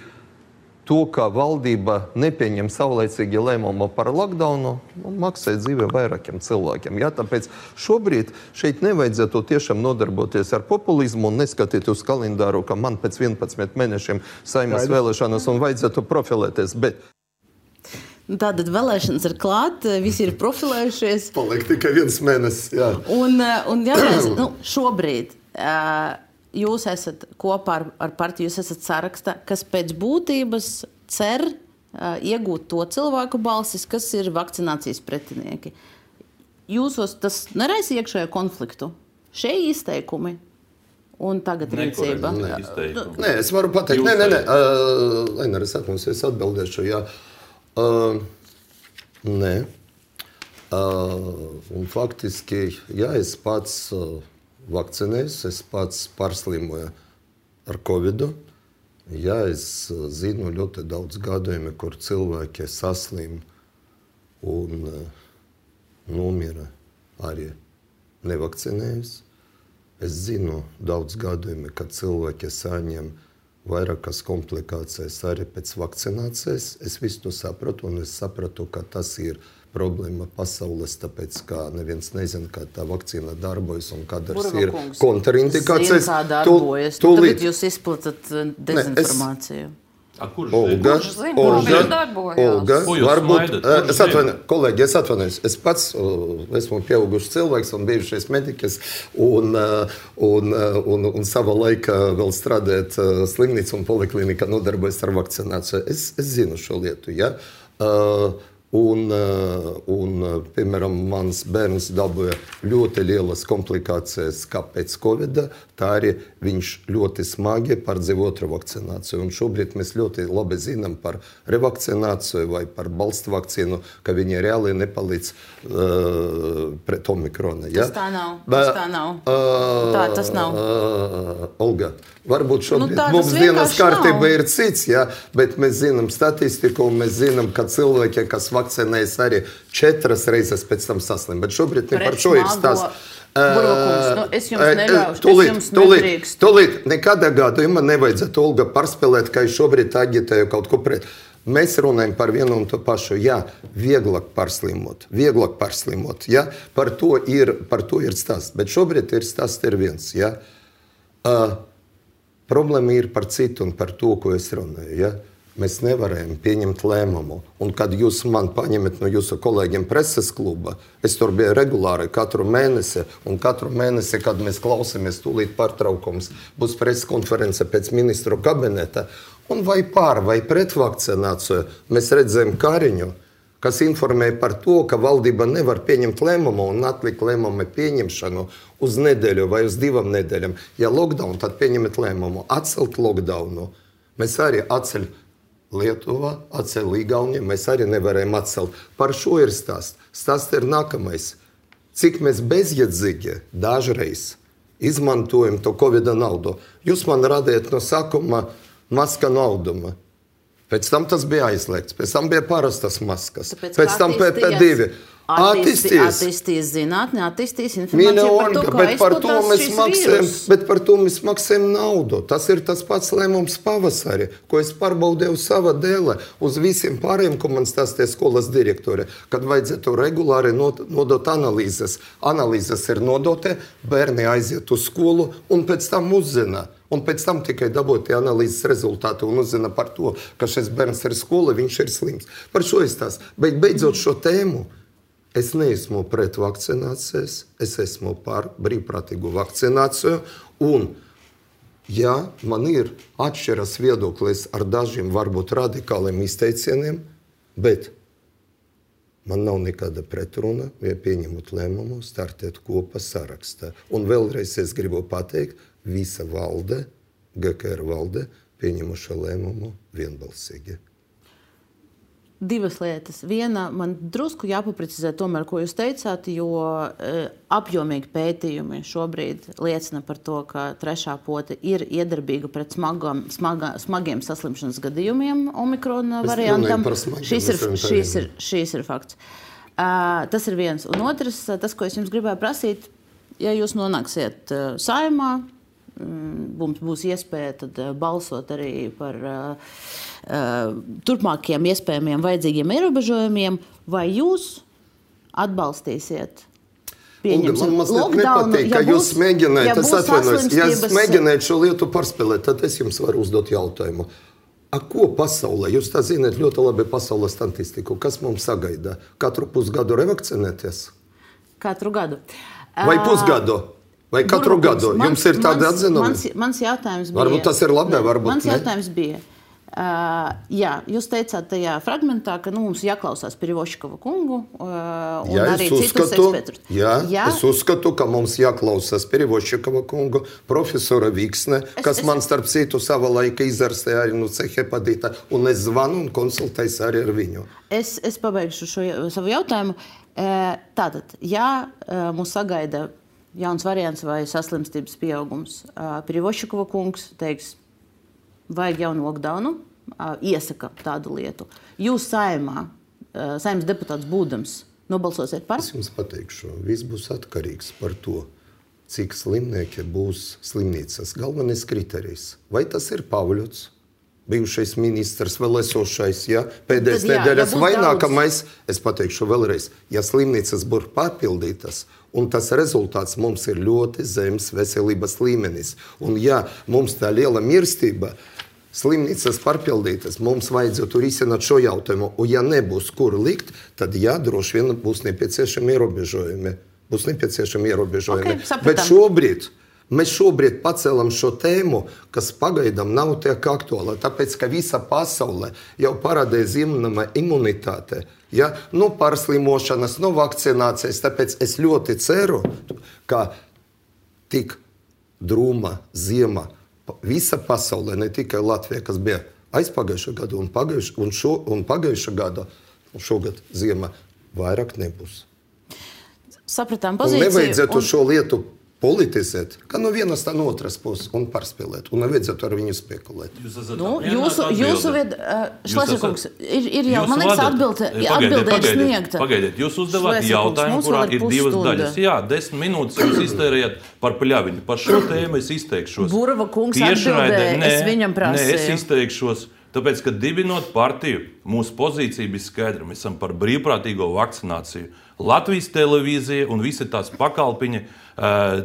to, ka valdība nepieņem saulaicīgi lēmumu par lockdownu, nu, maksā dzīve vairākiem cilvēkiem. Ja, tāpēc šobrīd šeit nevajadzētu tiešām nodarboties ar populismu un neskatīt uz kalendāru, ka man pēc vienpadsmit mēnešiem Saeimas vēlēšanas un vajadzētu profilēties. Bet tātad vēlēšanas ir klāt, visi ir profilējušies. Paliek tikai viens mēnesis, jā. Un, un jātājums, nu, šobrīd jūs esat kopā ar, ar partiju, jūs esat sarakstā, kas pēc būtības cer iegūt to cilvēku balsis, kas ir vakcinācijas pretinieki. Jūsos tas neraisa iekšējo konfliktu? Šie izteikumi un tagad rīcība? Nē, es varu pateikt. Nē, nē, nē. Uh, Lainer, es atmos, es atbildēšu, jā. Uh, nē. Uh, un faktiski, jā, es pats uh, vakcinējos, es pats pārslimoju ar covidu. Jā, es uh, zinu ļoti daudz gadījumi, kur cilvēki saslim un uh, nomira arī nevakcinējus. Es zinu daudz gadījumi, kad cilvēki saņem vairākas komplikācijas arī pēc vakcinācijas. Es visu to sapratu, un es sapratu, ka tas ir problēma pasaules, tāpēc, ka neviens nezina, kā tā vakcīna darbojas un kādas ir kontraindikācijas. Zina, kā darbojas. Tu, nu, tagad jūs izplatat dezinformāciju. Ne, es... Olga, zina, Olga, Olga, Ko jūs varbūt, smaidat? es atvainu, kolēģi, es atvainojos, es pats uh, esmu pieaugušs cilvēks un bijušais mediķis un, uh, un, uh, un, un sava laika vēl strādājot uh, slimnīca un poliklinika nodarbojas ar vakcināciju. Es, es zinu šo lietu, ja. Uh, Un, un, piemēram, mans bērns dabūja ļoti lielas komplikācijas kā pēc Covid, tā arī viņš ļoti smagi pārdzīvo otru vakcināciju. Un šobrīd mēs ļoti labi zinām par revakcināciju vai par balstu vakcīnu, ka viņi reāli nepalīdz uh, pret omikrona. Ja? Tas tā nav. Tas tā nav. Uh, tā tas nav. Uh, Olga, varbūt šobrīd nu, mums dienas kārtība ir cits, ja? Bet mēs zinām statistiku un mēs zinām, ka cilvēki, kas vakcinējas arī četras reizes pēc tam saslim. Bet šobrīd ne par šo ir stāsts. Burvakungs, nu, es jums neļaušu, tūlīt, es jums tūlīt, nedrīkstu. Tūlīt, nekādā gadījumā nevajadzētu Olga pārspēlēt, ka es šobrīd agitēju kaut ko pret. Mēs runājam par vienu un to pašu. Jā, vieglāk pārslimot, vieglāk pārslimot. Jā, par to ir, par to ir stāsts. Bet šobrīd ir stāsts ir viens. Jā. Uh, problēma ir par citu un par to, ko es runāju. Jā. Mēs nevarējam pieņemt lēmumu. Un kad jūs man paņemat no jūsu kolēģiem preses kluba, es tur biju regulāri katru mēnesi, un katru mēnesi, kad mēs klausāmies tūlīt pārtraukums, būs preses konference pēc ministru kabineta, un vai pār vai pret vakcināciju, mēs redzējām Kariņu, kas informēja par to, ka valdība nevar pieņemt lēmumu un atlikt lēmumu pieņemšanu uz nedēļu vai uz divām nedēļām. Ja lockdown, tad pieņemat lēmumu, atcelt lockdownu. Mēs arī atceļ Lietuvā, atcēl Igaunija, mēs arī nevarējām atcelt. Par šo ir stāsts. Stāsts ir nākamais. Cik mēs bezjēdzīgi dažreiz izmantojam to Covid naudu. Jūs man radījat no sākuma maska nauduma. Pēc tam tas bija aizliegts. Pēc tam bija parastas maskas. Tāpēc pēc tam P P divi. Attīstīs, attīstīs zinātni, attīstīs informāciju par to, kā izplatās šis vīrus. Bet par to mēs maksājam naudu. Tas ir tas pats lēmums pavasari, ko es pārbaudēju sava dēle uz visiem pārējiem, ko man stāstīja skolas direktore, kad vajadzētu regulāri nodot analīzes. Analīzes ir nodote, bērni aiziet uz skolu un pēc tam uzzina. Un pēc tam tikai dabūt tie analīzes rezultāti un uzzina par to, ka šis bērns ir skola, viņš ir slims. Par šo es tās. Bet beidzot šo tēmu, es neesmu pret vakcinācijas, es esmu par brīvprātīgu vakcināciju. Un, ja man ir atšķiras viedoklis ar dažiem varbūt radikāliem izteicieniem, bet man nav nekāda pretruna, ja pieņemot lēmumu, startēt kopā sarakstā. Un vēlreiz es gribu pateikt, visa valde, G K R valde, pieņemuša lēmumu vienbalsīgi. Divas lietas. Viena, man drusku jāpaprecizē tomēr, ko jūs teicāt, jo e, apjomīgi pētījumi šobrīd liecina par to, ka trešā pote ir iedarbīga pret smagam, smaga, smagiem saslimšanas gadījumiem omikrona variantam. Šīs ir, šīs, ir, šīs ir fakts. Uh, tas ir viens. Un otrs, tas, ko es jums gribēju prasīt, ja jūs nonāksiet uh, Saeimā, mums būs iespēja tad balsot arī par uh, uh, turpmākiem iespējamiem vajadzīgiem ierobežojumiem, vai jūs atbalstīsiet pieņemsim man lockdownu? Nepatīk, ja jūs mēģināt, ja es atvainojos, ja es mēģinātu šo lietu pārspēlēt, tad es jums varu uzdot jautājumu. A ko pasaulē? Jūs tā zināt ļoti labi pasaules statistiku. Kas mums sagaida? Katru pusgadu revakcinēties? Katru gadu. Vai pusgadu? Vai katru Burbukungs, gadu? Jums ir tāda atzinuma? Mans, mans jautājums bija... Varbūt tas ir labi, varbūt mans ne. Mans jautājums bija... Uh, jā, jūs teicāt tajā fragmentā, ka nu, mums jāklausās Piroškova kungu uh, un jā, arī citus ekspertus. Jā, jā, es uzskatu, ka mums jāklausās Piroškova kungu, profesora Viksne, es, kas es, man starp citu sava laika izārstēja arī no C hepatita, un es zvanu un konsultēju arī ar viņu. Es, es pabeigšu šo savu jautājumu. Uh, tātad, ja uh, mūs sagaida jauns variants vai saslimstības pieaugums, uh, Piroškova kungs teiks, vajag jaunu lockdownu, iesaka tādu lietu. Jūs Saeimā, Saeimas deputāts būdams, nobalsosiet par? Es jums pateikšu, viss būs atkarīgs par to, cik slimnieki būs slimnīcas. Galvenais kriterijs. Vai tas ir Pavļots, bijušais ministrs, vēl esošais, ja? Pēdējais Tad, jā, nedēļas ja vai nākamais, es pateikšu vēlreiz, ja slimnīcas būs pārpildītas, un tas rezultāts mums ir ļoti zems veselības līmenis. Un ja mums tā liela mirstība, slimnīcas pārpildītas, mums vajadzētu risināt šo jautājumu. Un ja nebūs kur likt, tad jā, droši vien būs nepieciešami ierobežojumi. Būs nepieciešami ierobežojumi. Okay, Bet šobrīd Mēs šobrīd pacēlam šo tēmu, kas pagaidām nav tiek aktuāla, tāpēc, ka visa pasaule jau parādīja zināma imunitāte, ja? No pārslimošanas, no vakcinācijas, tāpēc es ļoti ceru, ka tik drūma ziema visa pasaulē, ne tikai Latvija, kas bija aizpagājušā gada un pagājušā, un šo, un pagājušā gada, un šogad ziema vairāk nebūs. Sapratām pozīciju. Un nevajadzētu un... šo lietu politizēt, kā no vienas tā no otras puses un pārspēlēt, un nevajadzētu ar viņu spekulēt. Jūs esat nu, jūsu, jūsu vied... Šlesnerkungs, ir, ir jau, man liekas, atbilde, atbilde ir sniegta. Pagaidiet, jūs uzdevāt jautājumu, kurā ir divas daļas. Jā, desmit minūtes jūs iztērējat par Pļaviņu. Par šo tēmu es izteikšos. Burva kungs atbildēja, es viņam prasīju. Nē, es izteikšos. Tāpēc, ka dibinot partiju, mūsu pozīcija bija skaidra. Mēs esam par brīvprātīgo vakcināciju. Latvijas televīzija un visi tās pakalpiņi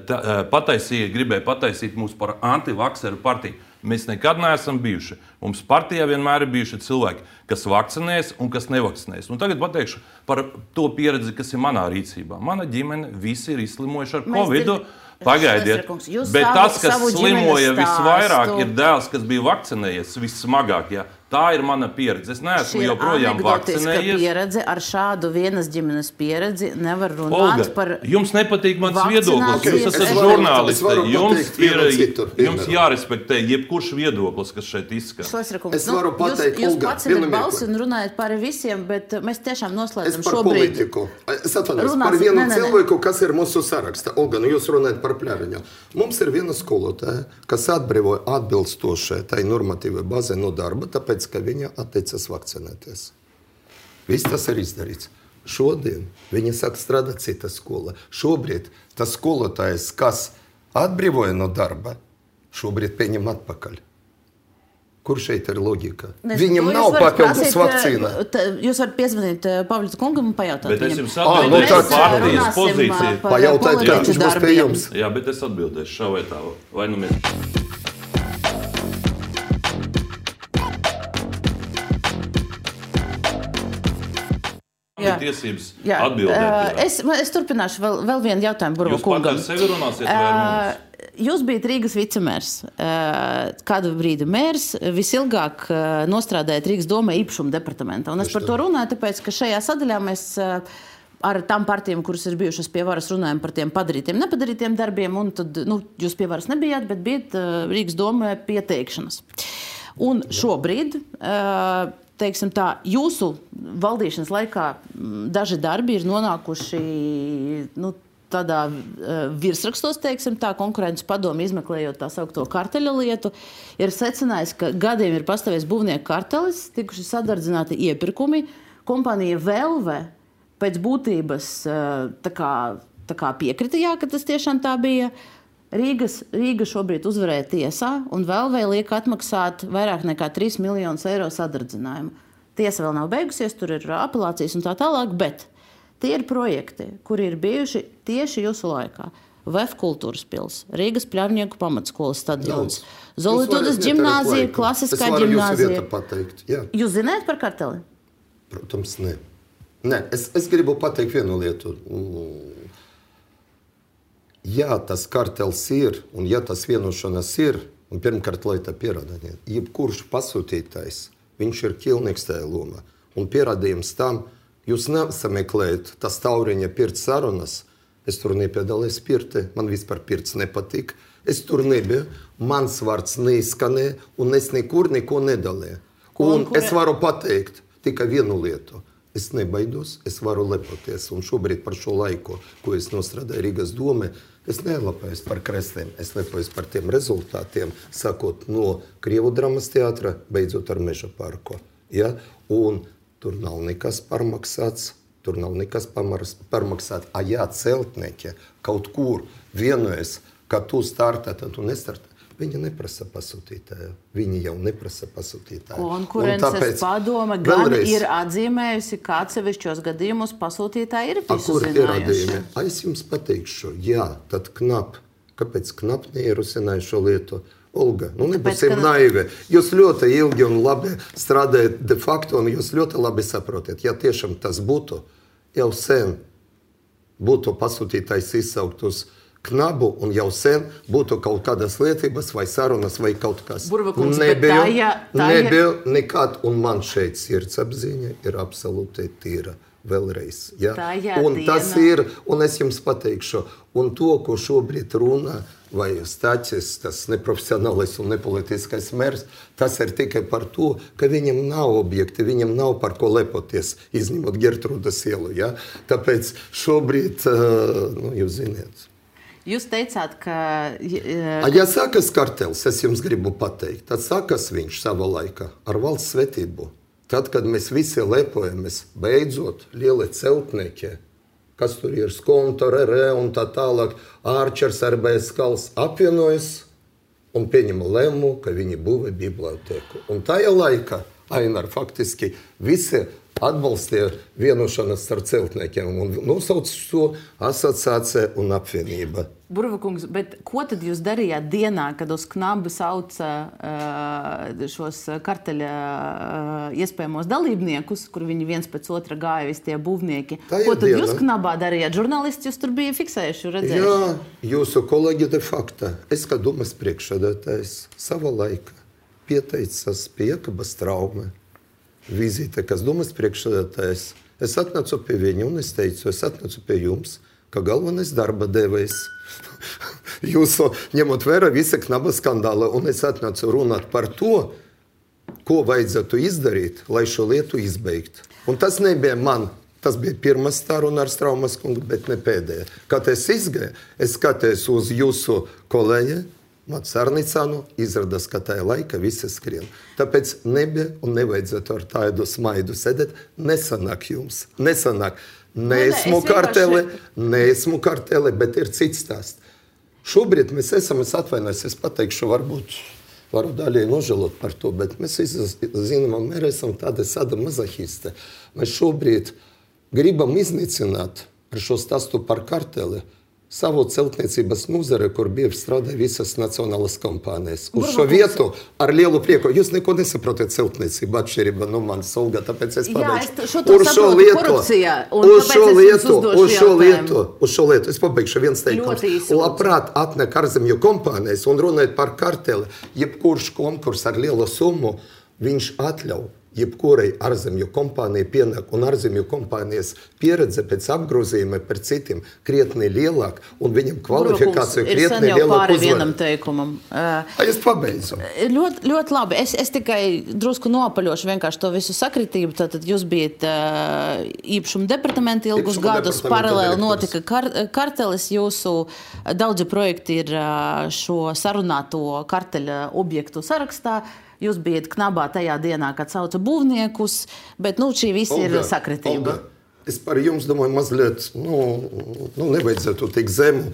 tā, pataisīja, gribēja pataisīt mūs par antivakseru partiju. Mēs nekad neesam bijuši. Mums partijā vienmēr ir bijuši cilvēki, kas vakcinēs un kas nevakcinēs. Un tagad pateikšu par to pieredzi, kas ir manā rīcībā. Mana ģimene visi ir izslimojuši ar Covidu. Pagaidiet, bet savu, tas, kas slimoja visvairāk, ir dēls, kas bija vakcinējies vissmagāk. Jā. Tā ir mana pieredze. Es neesmu joprojām vakcinējies. Pieredze ar šādu vienas ģimenes pieredzi nevar runāt Olga, par jums nepatīk mans viedoklis. Jūs esat žurnālisti. Jums ir jums jārespektē jebkurš viedoklis, kas šeit izskan. Es varu pateikt, jūs, Olga, jūs pacinat balsi un runājat par visiem, bet mēs tiešām noslēdzam šobrīd. Es par šobrīd. politiku. Es atvainojos par vienu ne, ne, cilvēku, kas ir mūsu sarakstā. Olga, nu jūs runājat par Pļaviņu. Mums ir viena skolotāja, kas atbrīvoja atbilstoši tai normatīvai bazē no darba, tāpēc, ka viņa atteicas vakcinēties. Viss tas ir izdarīts. Šodien viņa sāk strādāt cita skola. Šobrīd tas skolotājs, kas atbrīvoja no darba, šobrīd pieņem atpakaļ. Kur šeit ir loģika? Nes, Viņam nav papildus vakcīna. Jūs varat piezvanīt Pavļa kungam un pajautāt bet viņam. Bet es jums atbildēšu par partijas pozīciju. Pajautāt, kā viņš būs pie jums. Jā, bet es atbildēšu šā vai tā. Vai nu mēs... Tiesības jā, atbildēt. Es, es turpināšu vēl, vēl vienu jautājumu Burva Jūs kungam. Jūs sevi runāsiet vai ar mums? Jūs bijat Rīgas vicemērs, kādu brīdi mērs, visilgāk nostrādājat Rīgas domē īpašuma departamentā. Un es par to runāju, tāpēc, ka šajā sadaļā mēs ar tām partijām, kuras ir bijušas pie varas, runājam par tiem padarītiem, nepadarītiem darbiem, un tad, nu, jūs pie varas nebijāt, bet bijat Rīgas domē pieteikšanas. Un šobrīd, teiksim tā, jūsu valdīšanas laikā daži darbi ir nonākuši, nu, tādā uh, virsrakstos, teiksim tā, konkurences padomi izmeklējot tā saukto karteļa lietu, ir secinājis, ka gadiem ir pastāvējis būvnieku kartelis, tikuši sadardzināti iepirkumi, kompānija Velve pēc būtības uh, tā kā, tā kā piekrita, jā, ka tas tiešām tā bija. Rīgas, Rīga šobrīd uzvarēja tiesā un Velvei liek atmaksāt vairāk nekā trīs miljonus eiro sadardzinājumu. Tiesa vēl nav beigusies, tur ir apelācijas un tā tālāk, bet tie ir projekti, kuri ir bijuši tieši jūsu laikā. V E F kultūras pils, Rīgas Pļavnieku pamatskolas stadions, Zolitudas ģimnāzija, klasiskā ģimnāzija. Jūs zināt par karteli? Protams, ne. ne es, es gribu pateikt vienu lietu. Ja tas kartels ir, un ja tas vienošanas ir, un pirmkārt, lai tā pierādāt, jebkurš pasūtītājs, viņš ir ķilnieks tajā lomā. Un pierādījums tam, jūs nesameklējat tas tauriņa pirts sarunas. Es tur nepiedalījos pirti, man vispār pirts nepatīk. Es tur nebiju, mans vārds neizskanēja, un es nekur neko nedalīju. Un es varu pateikt tikai vienu lietu. Es nebaidos, es varu lepoties. Un šobrīd par šo laiku, ko es nostrādāju Rīgas domē, es nelepojos par krestiem, es lepojos par tiem rezultātiem, sākot no Krievu dramas teātra, beidzot ar Meža parku. Ja? Un tur nav nekas parmaksāts, tur nav nekas parmaksāts. A jā, celtnieki kaut kur vienojas, ka tu startē, tad tu nestartē. Viņi neprasa pasūtītāju. Viņi jau neprasa pasūtītāju. Konkurences padome gan vēlreiz, ir atzīmējusi, ka atsevišķos gadījumos pasūtītāji ir visu zinājuši. A, es jums pateikšu, jā, tad knap. Kāpēc knap neierusināju šo lietu? Olga, nu nebūsim ka... naivi. Jūs ļoti ilgi un labi strādājat de facto, un jūs ļoti labi saprotat. Ja tiešām tas būtu, jau sen būtu pasūtītājs izsaukt uz Knabu un jau sen būtu kaut kādas lietības vai sarunas vai kaut kas. Burvakungs, nebija, tā, ja, tā, nebija nekad, un man šeit sirdsapziņa ir absolūti tīra. Vēlreiz. Ja? Tā un tas ir, un es jums pateikšu, un to, ko šobrīd runā, vai Staķis, tas neprofesionālais un nepolitiskais mērs, tas ir tikai par to, ka viņam nav objekti, viņam nav par ko lepoties, izņemot Gertrūdas ielu. Ja? Tāpēc šobrīd, nu, jūs ziniet. Jūs teicāt, ka... A, ja sakas kartels, es jums gribu pateikt, tad sakas viņš savā laikā ar valsts svētību. Tad, kad mēs visi lepojamies, beidzot, lieli celtnieki, kas tur ir Skontor, R E un tā tālāk, Ārčers, R B S Kals, apvienojas un pieņem lēmumu, ka viņi būvē bibliotēku. Un tajā laikā, Ainar, faktiski visi atbalstīja vienošanos ar celtniekiem un nosauc to asociācija un apvienība. Burvakungs, bet ko tad jūs darījāt dienā, kad uz Knabu sauca uh, šos karteļa uh, iespējamos dalībniekus, kur viņi viens pēc otra gāja, visi tie būvnieki? Tā ko tad diena. Jūs Knabā darījāt? Žurnālisti jūs tur bija fiksējuši, redzējuši? Jā, jūsu kolēģi de facto. Es kā domas priekšsēdētājs savā laikā pieteicās pie Jēkabas Traumē. Vizīte, kas domas priekšsēdētājs. Es atnācu pie viņa un es teicu, es atnācu pie jums, ka galvenais darba devējs. Jūsu ņemot vērā visa Knaba skandāla, un es atnācu runāt par to, ko vajadzētu izdarīt, lai šo lietu izbeigt. Un tas nebija man, tas bija pirmā saruna ar Straumas kungu, bet ne pēdējā. Kad es izgāju, es skatījos uz jūsu kolēģi, Mats Arnicānu, izrādās, ka tajā laika visi skrien. Tāpēc nebija un nevajadzētu ar tādu smaidu sēdēt. Nesanāk jums, nesanāk. Neesmu karteli, neesmu karteli, bet ir cits stāsts. Šobrīd mēs esam, es atvainojos, es pateikšu, varbūt varu daļai nožēlot par to, bet mēs zinām, mēs esam tādi sada mazahiste. Mēs šobrīd gribam iznīcināt ar šo stāstu par karteli savu celtniecības nozare, kur bieži strādāja visas nacionālas kompānijas. Uz šo vietu ar lielu prieku. Jūs neko nesaprotat celtniecību atšķirībā no manas, Olga, tāpēc es pabeigšu. Jā, es šo to saprotu korupcijā. Uz šo lietu, uz šo lietu, uz šo lietu. Es pabeigšu viens teikums. Labprāt atnek ārzemju kompānijas un runājot par karteli, jebkurš konkurs ar lielu summu, viņš atļauj jebkurai ārzemju kompānijai pienāk un ārzemju kompānijas pieredze pēc apgrozījuma par citiem krietni lielāk un viņam kvalifikāciju krietni lielāk uzvar. Vienam teikumam. Uh, es pabeidzu. Ļoti, ļoti labi. Es, es tikai drusku nopaļošu vienkārši to visu sakritību. Tātad jūs bijat uh, īpašuma departamenta ilgus Īpašuma gadus, paralēli notika kar, kartelis. Jūsu daudzi projekti ir uh, šo sarunāto karteļa objektu sarakstā. Jūs bijat Knabā tajā dienā, kad sauca būvniekus, bet nu, šī viss ir sakritība. Olga, es par jums domāju mazliet, nu, nu nevajadzētu tik zemu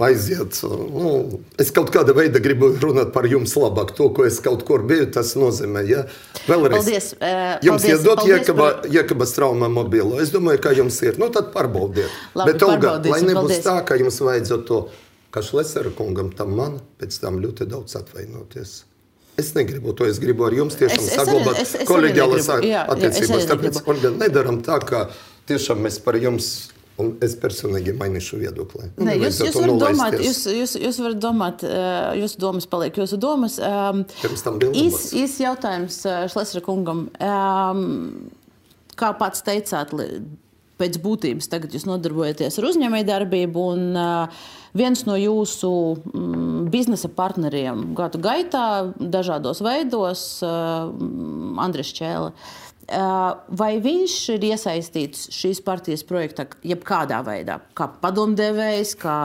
aiziet. Nu, es kaut kāda veida gribu runāt par jums labāk. To, ko es kaut kur biju, tas nozīmē, ja? Vēlreiz. Paldies. Uh, jums paldies, iedot Jēkaba, par... Jēkabas Traumā mobilo. Es domāju, ka jums ir. Nu, tad pārbaudiet. Labi, bet, Olga, lai nebūs paldies. tā, ka jums vajadzētu to, ka Šlesera kungam tam man pēc tam ļoti daudz atvainoties. Es negribu to, es gribu ar jums tiešām es, saglabāt es, es, es kolēģiālas attiecības. Tāpēc, Olga, nedaram tā, ka tiešām mēs par jums, un es personīgi mainīšu viedokli. Ne, jūs, jūs varat domāt, jūs, jūs, jūs varat domāt, jūsu domas paliek jūsu domas. Īs, īs jautājums Šlesera kungam. Kā pats teicāt, pēc būtības tagad jūs nodarbojaties ar uzņēmējdarbību un uh, viens no jūsu mm, biznesa partneriem gadu gaitā dažādos veidos, uh, Andris Čēle. Uh, vai viņš ir iesaistīts šīs partijas projektā jebkādā veidā? Kā padomdevējs, kā,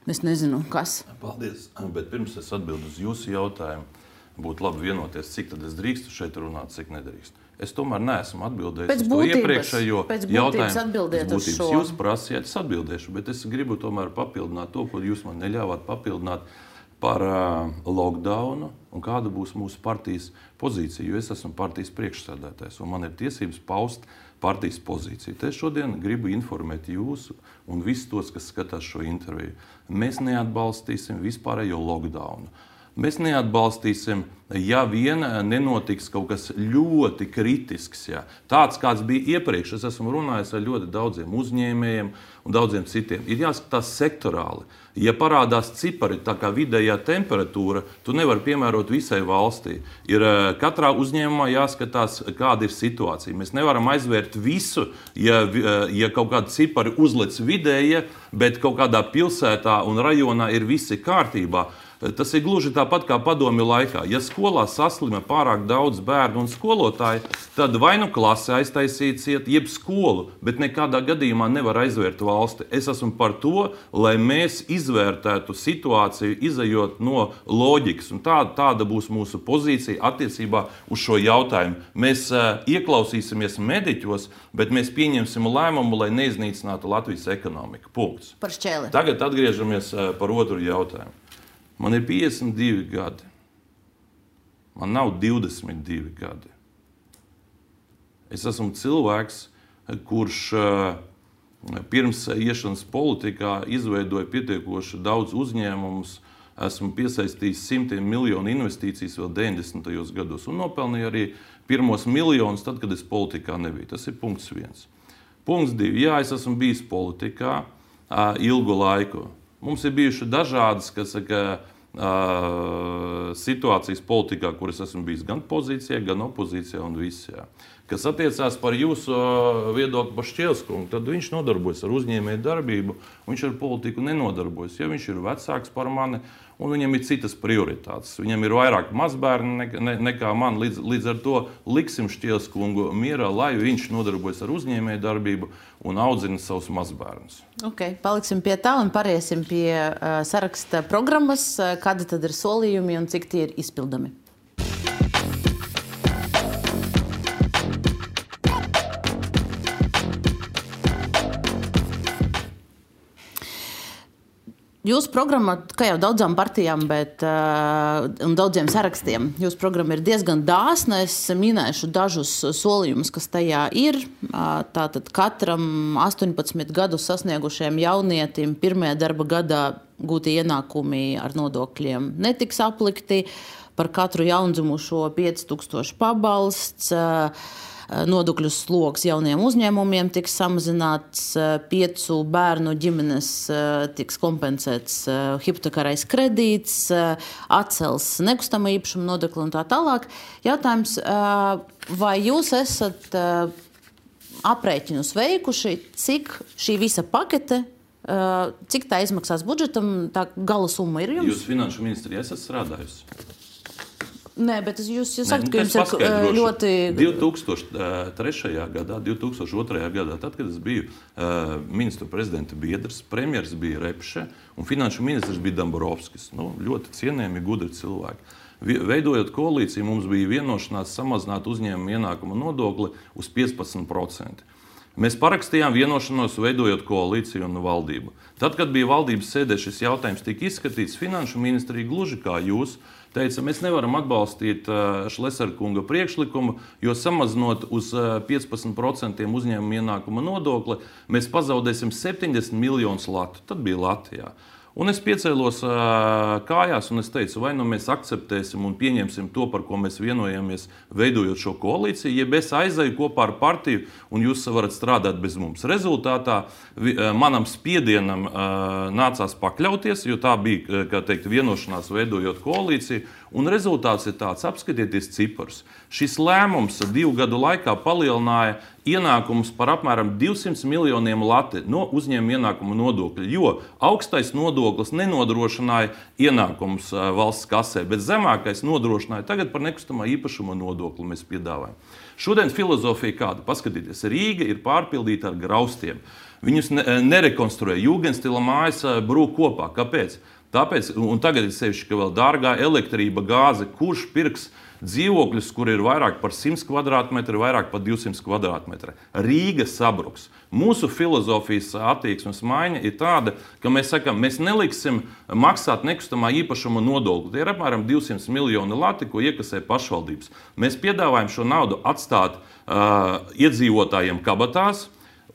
es nezinu, kas? Paldies, bet pirms es atbildu uz jūsu jautājumu, būtu labi vienoties, cik tad es drīkstu šeit runāt, cik nedrīkstu. Es tomēr neesmu atbildējis pēc uz to būtības, iepriekšējo jautājumu. Atbildiet uz šo. Jūs prasījāt, es atbildēšu, bet es gribu tomēr papildināt to, ko jūs man neļāvāt papildināt par uh, lockdownu un kāda būs mūsu partijas pozīcija, jo es esmu partijas priekšsēdētājs un man ir tiesības paust partijas pozīciju. Te šodien gribu informēt jūsu un visus tos, kas skatās šo interviju. Mēs neatbalstīsim vispārējo lockdownu. Mēs neatbalstīsim, ja vien nenotiks kaut kas ļoti kritisks. Jā. Tāds, kāds bija iepriekš, es esmu runājis ar ļoti daudziem uzņēmējiem un daudziem citiem. Ir jāskatās sektorāli. Ja parādās cipari, tā kā vidējā temperatūra, tu nevari piemērot visai valstī. Ir katrā uzņēmumā jāskatās, kāda ir situācija. Mēs nevaram aizvērt visu, ja, ja kaut kāda cipari uzlec vidēja, bet kaut kādā pilsētā un rajonā ir visi kārtībā. Tas ir gluži tāpat kā padomju laikā. Ja skolā saslima pārāk daudz bērnu un skolotāju, tad vai nu klase aiztaisīt ciet, jeb skolu, bet nekādā gadījumā nevar aizvērt valsti. Es esmu par to, lai mēs izvērtētu situāciju, izejot no loģikas. Un tāda, tāda būs mūsu pozīcija attiecībā uz šo jautājumu. Mēs uh, ieklausīsimies mediķos, bet mēs pieņemsim lēmumu, lai neiznīcinātu Latvijas ekonomiku. Punkts. Par šķēli. Tagad atgriežamies uh, par otru jautājumu. Man ir piecdesmit divi gadi. Man nav divdesmit divi gadi. Es esmu cilvēks, kurš pirms iešanas politikā izveidoja pietiekoši daudz uzņēmumus. Esmu piesaistījis simtiem miljonu investīcijas vēl deviņdesmitajos gados un nopelnīju arī pirmos miljonus tad, kad es politikā nebiju. Tas ir punkts viens. Punkts divi. Jā, es esmu bijis politikā ilgu laiku. Mums ir bijuši dažādas, kas saka, uh, situācijas politikā, kuras esmu bijis gan pozīcijā, gan opozīcijā un visā. Kas attiecās par jūsu viedokli par Šķielskungu, tad viņš nodarbojas ar uzņēmēju darbību, viņš ar politiku nenodarbojas. Ja viņš ir vecāks par mani, un viņam ir citas prioritātes. Viņam ir vairāk mazbērni ne, ne, nekā man. Līdz, līdz ar to liksim Šķielskungu mierā, lai viņš nodarbojas ar uzņēmēju darbību un audzina savus mazbērnus. Okay, paliksim pie tā un pāriesim pie uh, saraksta programmas. Kādi tad ir solījumi un cik tie ir izpildami? Jūsu programma, kā jau daudzām partijām, bet, uh, un daudziem sarakstiem, jūsu programma ir diezgan dāsna. Es minēšu dažus solījumus, kas tajā ir. Uh, tātad katram astoņpadsmit gadus sasniegušajam jaunietim pirmajā darba gadā gūtie ienākumi ar nodokļiem netiks aplikti. Par katru jaundzimušo pieci tūkstoši pabalsts. Uh, Nodokļu sloks jauniem uzņēmumiem tiks samazināts, piecu bērnu ģimenes tiks kompensēts hipotekārais kredīts, atcels nekustamā īpašuma nodokli un tā tālāk. Jautājums, vai jūs esat aprēķinus veikuši, cik šī visa pakete, cik tā izmaksās budžetam, tā gala summa ir jums? Jūs finanšu ministrijā esat strādājusi? Nē, bet jūs, jūs sakat, ka jums ir ļoti... divi tūkstoši trešajā gadā, divi tūkstoši otrajā gadā, tad, kad es biju uh, ministru prezidenta biedrs, premjers bija Repše un finanšu ministrs bija Damborovskis. Nu, ļoti cienījami, gudri cilvēki. Veidojot koalīciju, mums bija vienošanās samazināt uzņēmumu ienākumu nodokli uz piecpadsmit procenti. Mēs parakstījām vienošanos, veidojot koalīciju un valdību. Tad, kad bija valdības sēdē, šis jautājums tika izskatīts, finanšu ministrija gluži kā jūs teica, mēs nevaram atbalstīt Šlesera kunga priekšlikumu, jo samazinot uz piecpadsmit procentiem uzņēmuma ienākuma nodokli, mēs pazaudēsim septiņdesmit miljonus latu. Tad bija Latvijā. Un es piecēlos uh, kājās un es teicu, vai nu mēs akceptēsim un pieņemsim to, par ko mēs vienojamies, veidojot šo koalīciju, ja es aizēju kopā ar partiju un jūs varat strādāt bez mums. Rezultātā vi, uh, manam spiedienam uh, nācās pakļauties, jo tā bija, kā teikt, vienošanās veidojot koalīciju, un rezultāts ir tāds, apskatieties ciparus. Šis lēmums divu gadu laikā palielināja ienākumus par apmēram divsimt miljoniem lati no uzņēmuma ienākuma nodokļa, jo augstais nodoklis nenodrošināja ienākumus valsts kasē, bet zemākais nodrošināja tagad par nekustamā īpašuma nodokli mēs piedāvājam. Šodien filozofija kāda? Paskatieties, Rīga ir pārpildīta ar graustiem. Viņus ne, nerekonstruē, Jūgenstila mājas brūk kopā. Kāpēc? Tāpēc, un tagad ir sevišķi, ka vēl dārgā elektrība, gāze, kurš pirks dzīvokļus, kur ir vairāk par simt kvadrātmetri, vairāk par divsimt kvadrātmetri. Rīga sabruks. Mūsu filozofijas attieksmes maiņa ir tāda, ka mēs sakam, mēs neliksim maksāt nekustamā īpašuma nodokli. Tie ir apmēram divsimt miljoni lati, ko iekasē pašvaldības. Mēs piedāvājam šo naudu atstāt uh, iedzīvotājiem kabatās,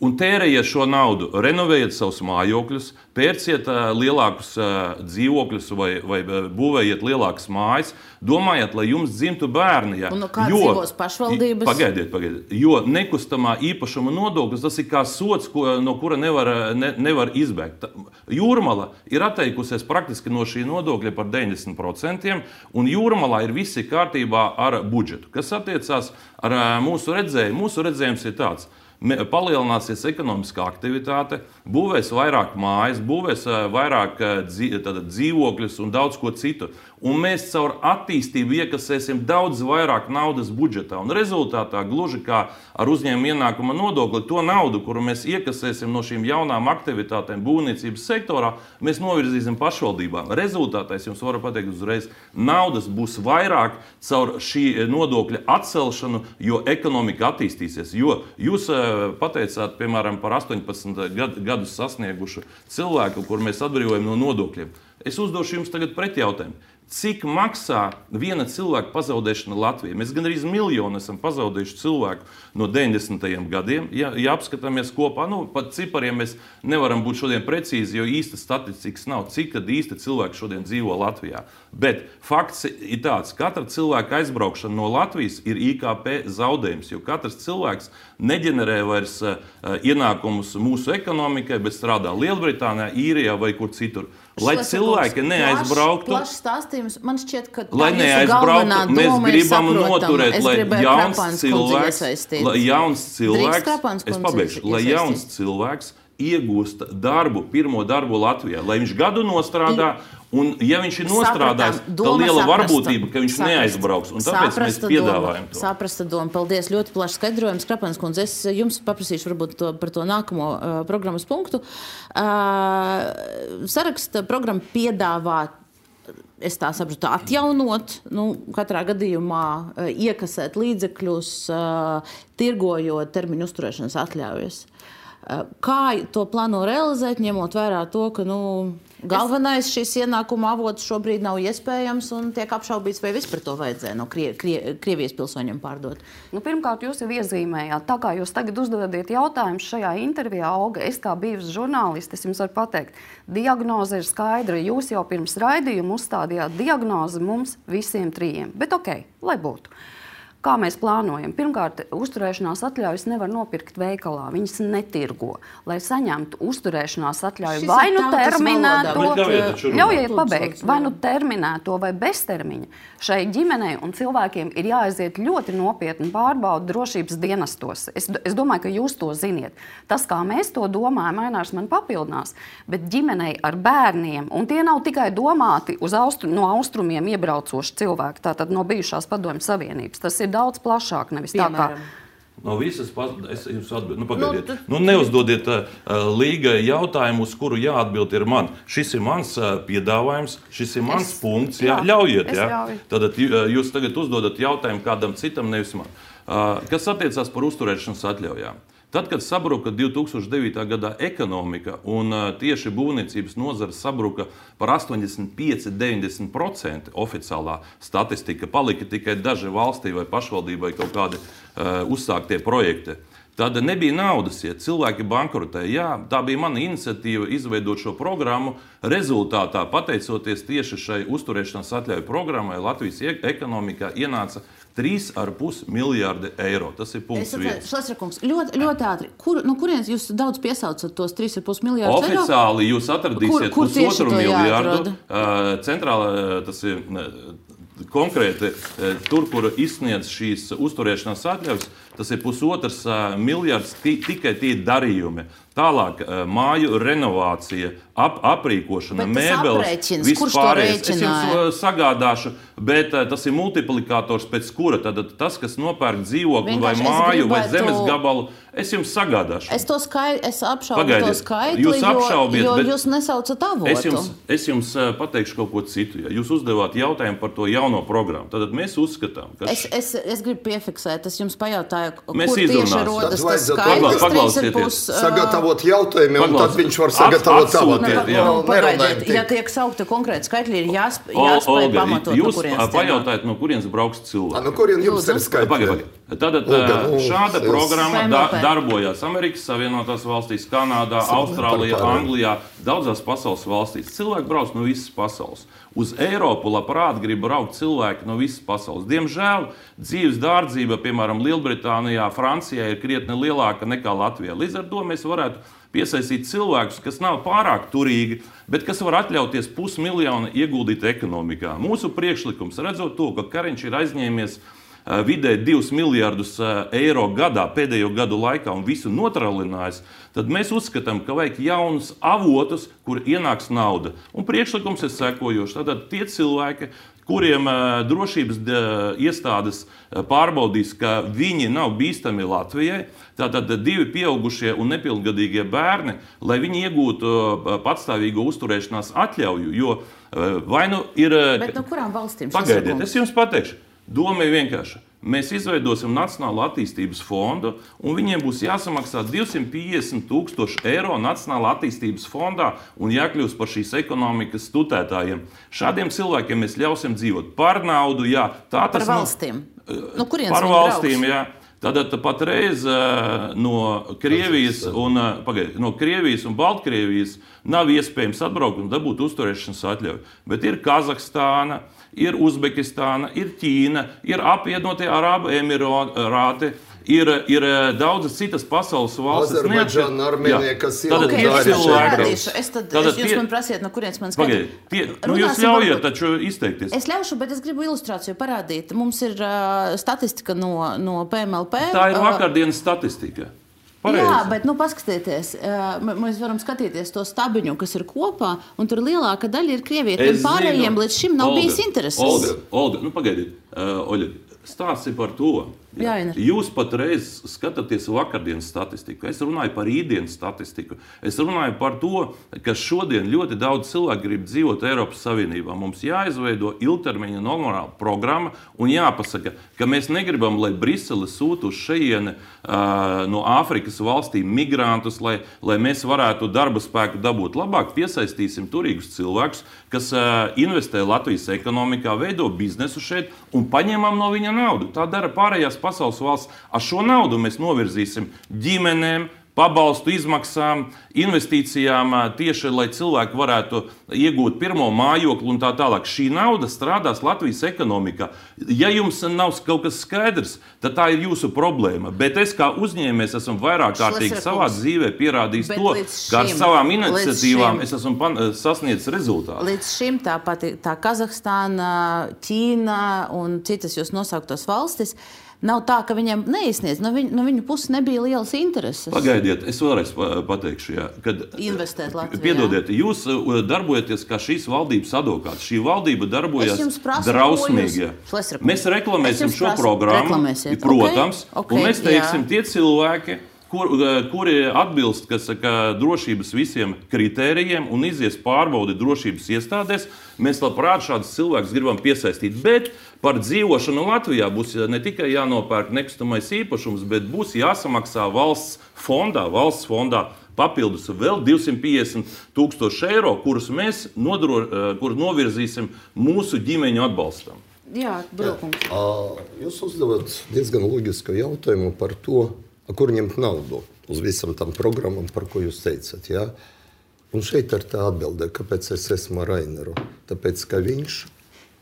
Un tērējiet šo naudu, renovējiet savus mājokļus, pērciet uh, lielākus uh, dzīvokļus vai, vai būvējiet lielākas mājas, domājiet, lai jums dzimtu bērni. Ja. Un no kā dzīvos pašvaldības? Pagaidiet, pagaidiet. Jo nekustamā īpašuma nodoklis, tas ir kā sots, ko, no kura nevar, ne, nevar izbēgt. Jūrmala ir atteikusies praktiski no šī nodokļa par deviņdesmit procentiem, un Jūrmalā ir visi kārtībā ar budžetu. Kas attiecās ar uh, mūsu redzējumu? Mūsu redzējums ir tāds. Palielināsies ekonomiskā aktivitāte, būvēs vairāk mājas, būvēs vairāk dzīvokļus un daudz ko citu. Un mēs caur attīstību iekasēsim daudz vairāk naudas budžetā. Un rezultātā, gluži kā ar uzņēmuma ienākuma nodokli, to naudu, kuru mēs iekasēsim no šīm jaunām aktivitātēm būvniecības sektorā, mēs novirzīsim pašvaldībām. Rezultātā, es jums varu pateikt uzreiz, naudas būs vairāk caur šī nodokļa atcelšanu, jo ekonomika attīstīsies. Jo jūs pateicāt, piemēram, par astoņpadsmit gadus sasniegušu cilvēku, kur mēs atbrīvojam no nodokļiem. Es uzdošu jums tagad pretjautājumu. Cik maksā viena cilvēka pazaudēšana Latvijā? Mēs gandrīz miljonu esam pazaudējuši cilvēku no deviņdesmitajiem gadiem. Ja, ja apskatāmies kopā, nu, pat cipariem mēs nevaram būt šodien precīzi, jo īsta statistikas nav, cik tad īsti cilvēki šodien dzīvo Latvijā. Bet fakts ir tāds, katra cilvēka aizbraukšana no Latvijas ir I K P zaudējums, jo katrs cilvēks neģenerē vairs uh, ienākumus mūsu ekonomikai, bet strādā Lielbritānijā, Īrijā vai kur citur. Lai cilvēki neaizbrauktu, plašs stāstījums, man šķiet, ka lai neaizbrauktu, mēs gribam noturēt, lai jauns cilvēks, lai jauns cilvēks, es pabeigšu, lai jauns cilvēks iegūst darbu, pirmo darbu Latvijā, lai viņš gadu nostrādā, un ja viņš ir nostrādājis, tā liela varbūtība, ka viņš neaizbrauks, un tāpēc mēs piedāvājam to. Saprasta doma, paldies, ļoti plašs skaidrojums. Krapans kundze, es jums paprasīšu varbūt to, par to nākamo uh, programmas punktu. Uh, saraksta programma piedāvā, es tā saprotu, atjaunot, nu, katrā gadījumā uh, iekasēt līdzekļus, uh, tirgojot termiņu uzturēšanas atļaujas. Kā to plāno realizēt, ņemot vērā to, ka nu, galvenais šis ienākuma avots šobrīd nav iespējams un tiek apšaubīts, vai vispār to vajadzēja no Krie, Krie, Krievijas pilsoņiem pārdot? Nu, pirmkārt, jūs jau iezīmējāt, tā kā jūs tagad uzdodiet jautājumus šajā intervijā, Olga, es kā bijusi žurnālisti, es jums varu pateikt, diagnoze ir skaidra, jūs jau pirms raidījuma uzstādījāt diagnozi mums visiem trījiem, bet okei, lai būtu. Kā mēs plānojam? Pirmkārt, uzturēšanās atļaujas nevar nopirkt veikalā, viņas netirgo. Lai saņemtu uzturēšanās atļauju Šis vai nu terminēto, ļaujiet runāt. pabeigt, vai nu terminēto vai beztermiņa, šai ģimenei un cilvēkiem ir jāaiziet ļoti nopietni pārbaudu drošības dienestos. Es, es domāju, ka jūs to ziniet. Tas, kā mēs to domājam, Ainārs man papildinās, bet ģimenei ar bērniem, un tie nav tikai domāti uz austru, no austrumiem iebraucoši cilvēki, tātad no bijušās Padomju Savienības. Tas ir daudz plašāk, nevis Piemēram. tā kā. No visas, es jums atbildu, nu pagaidiet, nu, nu neuzdodiet uh, līgai jautājumu, uz kuru jāatbild ir man. Šis ir mans uh, piedāvājums, šis ir mans es, punkts, jā, jā, ļaujiet, jā. Ļauju. Tad jūs tagad uzdodat jautājumu kādam citam, nevis man. Uh, kas attiecās par uzturēšanas atļaujām? Tad, kad sabruka divi tūkstoši devītā gadā ekonomika un uh, tieši būvniecības nozara sabruka par astoņdesmit pieci līdz deviņdesmit procenti oficiālā statistika, palika tikai daži valstī vai pašvaldībai kaut kādi uh, uzsāktie projekti. Tad nebija naudas, ja cilvēki bankrotēja. Jā, tā bija mana iniciatīva izveidot šo programmu. Rezultātā, pateicoties tieši šai uzturēšanās atļauju programmai, Latvijas ekonomikā ienāca trīs ar pus miljārdi eiro. Tas ir punkts viens. Šlesrakungs, ļoti, ļoti ātri. Kur, no kurienes jūs daudz piesaucat tos trīs ar pus miljārdus eiro? Oficiāli jūs atradīsiet kur, kur pusotru miljārdu. Uh, centrāla, tas ir uh, konkrēti uh, tur, kur izsniedz šīs uzturēšanās atļaujas, tas ir pusotrs uh, miljards tikai tie darījumi. Tālāk māju renovācija, ap, aprīkošana, mēbeles, viss pārējais. Es jums sagādāšu, bet tas ir multiplikators pēc kura. Tad tas, kas nopērk dzīvokli vai māju vai zemes gabalu, es jums sagādāšu. Es to skait, es apšaubu to skaitli, jūs apšaubiet, jo, jo jūs nesaucat avotu. Es jums, es jums pateikšu kaut ko citu. Ja jūs uzdevāt jautājumu par to jauno programmu, tad mēs uzskatām, ka... Es, es, es gribu piefiksēt, es jums pajautāju, mēs kur tieši rodas tas skaitlis, trīs ar pus... Jautājumi, un tad viņš var sagatavot savu tēmu. Ja tiek saukta konkrēti skaitļi, ir jāspēj, jāspēj pamatot, no kurienes. Jūs pajautājat, no kurienes brauks cilvēki. No kurien jums ir skaitļi? Tātad šāda programma da, darbojās Amerikas Savienotās valstīs, Kanādā, Austrālijā, Anglijā, daudzās pasaules valstīs. Cilvēki brauc no visas pasaules. Uz Eiropu labprāt grib braukt cilvēki no visas pasaules. Diemžēl dzīves dārdzība, piemēram, Lielbritānijā, Francijā ir krietni lielāka nekā Latvijā. Līdz ar to mēs varētu piesaistīt cilvēkus, kas nav pārāk turīgi, bet kas var atļauties pusmiljonu ieguldīt ekonomikā. Mūsu priekšlikums, redzot to, ka Kariņš ir aizņēmies vidēji divus miljardus eiro gadā pēdējo gadu laikā un visu notralinājis, tad mēs uzskatām, ka vajag jaunus avotus, kur ienāks nauda. Un priekšlikums ir sekojošs. Tātad tie cilvēki, kuriem drošības iestādes pārbaudīs, ka viņi nav bīstami Latvijai, tātad divi pieaugušie un nepilngadīgie bērni, lai viņi iegūtu patstāvīgo uzturēšanās atļauju, jo vai nu ir... Bet no kurām valstīm? Pagaidiet, es jums pateikšu. Doma ir vienkārša. Mēs izveidosim Nacionālo attīstības fondu, un viņiem būs jāsamaksā divsimt piecdesmit tūkstoši eiro Nacionālā attīstības fondā un jākļūst par šīs ekonomikas tutētājiem. Šādiem cilvēkiem mēs ļausim dzīvot par naudu, jā. Tā tas par valstīm? No kurienes par valstīm, jā. Tātad patreiz no Krievijas un, pagaid, no Krievijas un Baltkrievijas nav iespējams atbraukt un dabūt uzturēšanas atļauju. Bet ir Kazahstāna, ir Uzbekistāna, ir Ķīna, ir apvienotie Arābu Emirāti, ir, ir daudzas citas pasaules valstis. Azerbaidžāna, Armēnija, kas ir okay, es parādīšu. Es tad, tad jūs tie... man prasiet, no kurienes man skatīt. Nu, jūs ļaujiet taču izteikties. Es ļaušu, bet es gribu ilustrāciju parādīt. Mums ir uh, statistika no, no P M L P. Tā ir vakardienas statistika. Pareizi. Jā, bet nu, paskatieties, mēs varam skatīties to stabiņu, kas ir kopā, un tur lielāka daļa ir Krievija. Un pārējiem līdz šim nav Olga, bijis intereses. Olga, Olga, nu pagaidiet, uh, Oļa, stāsts ir par to. Jā, jūs patreiz skatāties vakardienas statistiku. Es runāju par rītdienas statistiku. Es runāju par to, ka šodien ļoti daudz cilvēku grib dzīvot Eiropas Savienībā. Mums jāizveido ilgtermiņa normāla programma un jāpasaka, ka mēs negribam, lai Brisele sūta uz šejieni uh, no Āfrikas valstīm migrantus, lai, lai mēs varētu darba spēku dabūt. Labāk piesaistīsim turīgus cilvēkus, kas uh, investē Latvijas ekonomikā, veido biznesu šeit un paņemam no viņa naudu. Tā dara pārējās pasaules valsts. Ar šo naudu mēs novirzīsim ģimenēm, pabalstu izmaksām, investīcijām tieši, lai cilvēki varētu iegūt pirmo mājokli un tā tālāk. Šī nauda strādās Latvijas ekonomikā. Ja jums nav kaut kas skaidrs, tad tā ir jūsu problēma. Bet es kā uzņēmējs esmu vairāk kārtīgi savā dzīvē pierādījis to, ka ar savām iniciatīvām es esmu sasniedzis rezultātu. Līdz šim tā pati tā Kazahstāna, Ķīna un citas jūs nosauktos valstis, nav tā, ka viņiem neizsniedz. No viņu, no viņu puses nebija lielas intereses. Pagaidiet, es vēlreiz pateikšu, jā, kad investēt Latvijā. Piedodiet, jūs darbojaties kā šīs valdības advokāts. Šī valdība darbojas drausmīgi. Jūs... Mēs reklamēsim šo programmu, protams, okay, okay, un mēs teiksim, jā. Tie cilvēki, kur, kuri atbilst, kas saka, drošības visiem kritērijiem un izies pārbaudi drošības iestādēs, mēs labprāt šādus cilvēkus gribam piesaistīt. Bet par dzīvošanu Latvijā būs ne tikai jānopērk nekustamais īpašums, bet būs jāsamaksā valsts fondā, valsts fondā papildus vēl divsimt piecdesmit tūkstoši eiro, kurus mēs nodro, kur novirzīsim mūsu ģimeņu atbalstam. Jā, Brūkungs. Jūs uzdevat diezgan loģisku jautājumu par to, kur ņemt naudu uz visam tam programmam, par ko jūs teicat. Ja? Un šeit ir tā atbilde, kāpēc es esmu ar Aineru. Tāpēc, ka viņš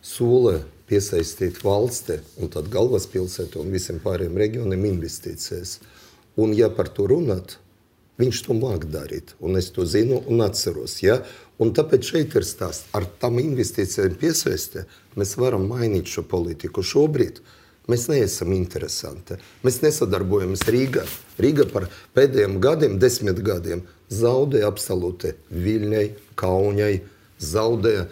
sola piesaistīt valsti un tad galvaspilsētu un visiem pārējiem reģioniem investīcijas. Un ja par to runāt, viņš to māk darīt. Un es to zinu un atceros. Ja? Un tāpēc šeit ir stāsts. Ar tam investīcijām piesaisti mēs varam mainīt šo politiku. Šobrīd mēs neesam interesanti. Mēs nesadarbojamies Rīgā. Rīga par pēdējiem gadiem, desmit gadiem, zaudēja absolūti Viļņai, Kaunijai, zaudēja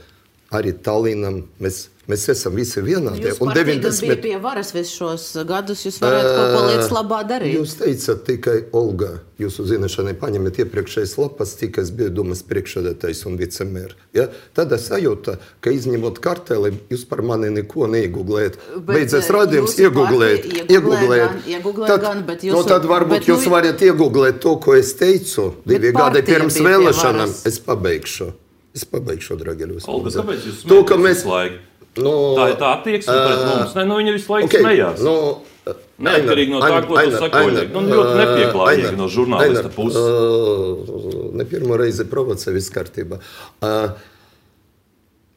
arī Tallinam. Mēs, mēs esam visi vienādi. Jūs partija deviņdesmit... bija pie varas visus šos gadus, jūs varētu kaut ko lietas labā darīt. Jūs teicat tikai, Olga, jūsu zināšanai paņemiet iepriekšējas lapas, tikai es biju domas priekšsēdētājs un vicemērs. Ja? Tad es sajūtu, ka izņemot karteli, jūs par mani neko neieguglējat. Beidzies rādījums, ieguglējat. Ieguglējat, ieguglējat gan, bet jūs... Nu, tad varbūt jūs nu... varat iegooglēt to, ko es teicu divi gadi pirms vēlēšanām. Es pabeigšu. Es pabeigšu, dragiļos. Olga, kāpēc jūs smēties mēs... visu laiku? No... Tā ir tā attieksme pret mums. Ne, nu, viņa visu laiku okay, smējās. No, Neatkarīgi no tā, ko tu saki, Oļeg. Nu, ļoti nepieklājīgi no žurnālista puses. Uh, ne pirmo reizi provocē viss kārtībā. Uh,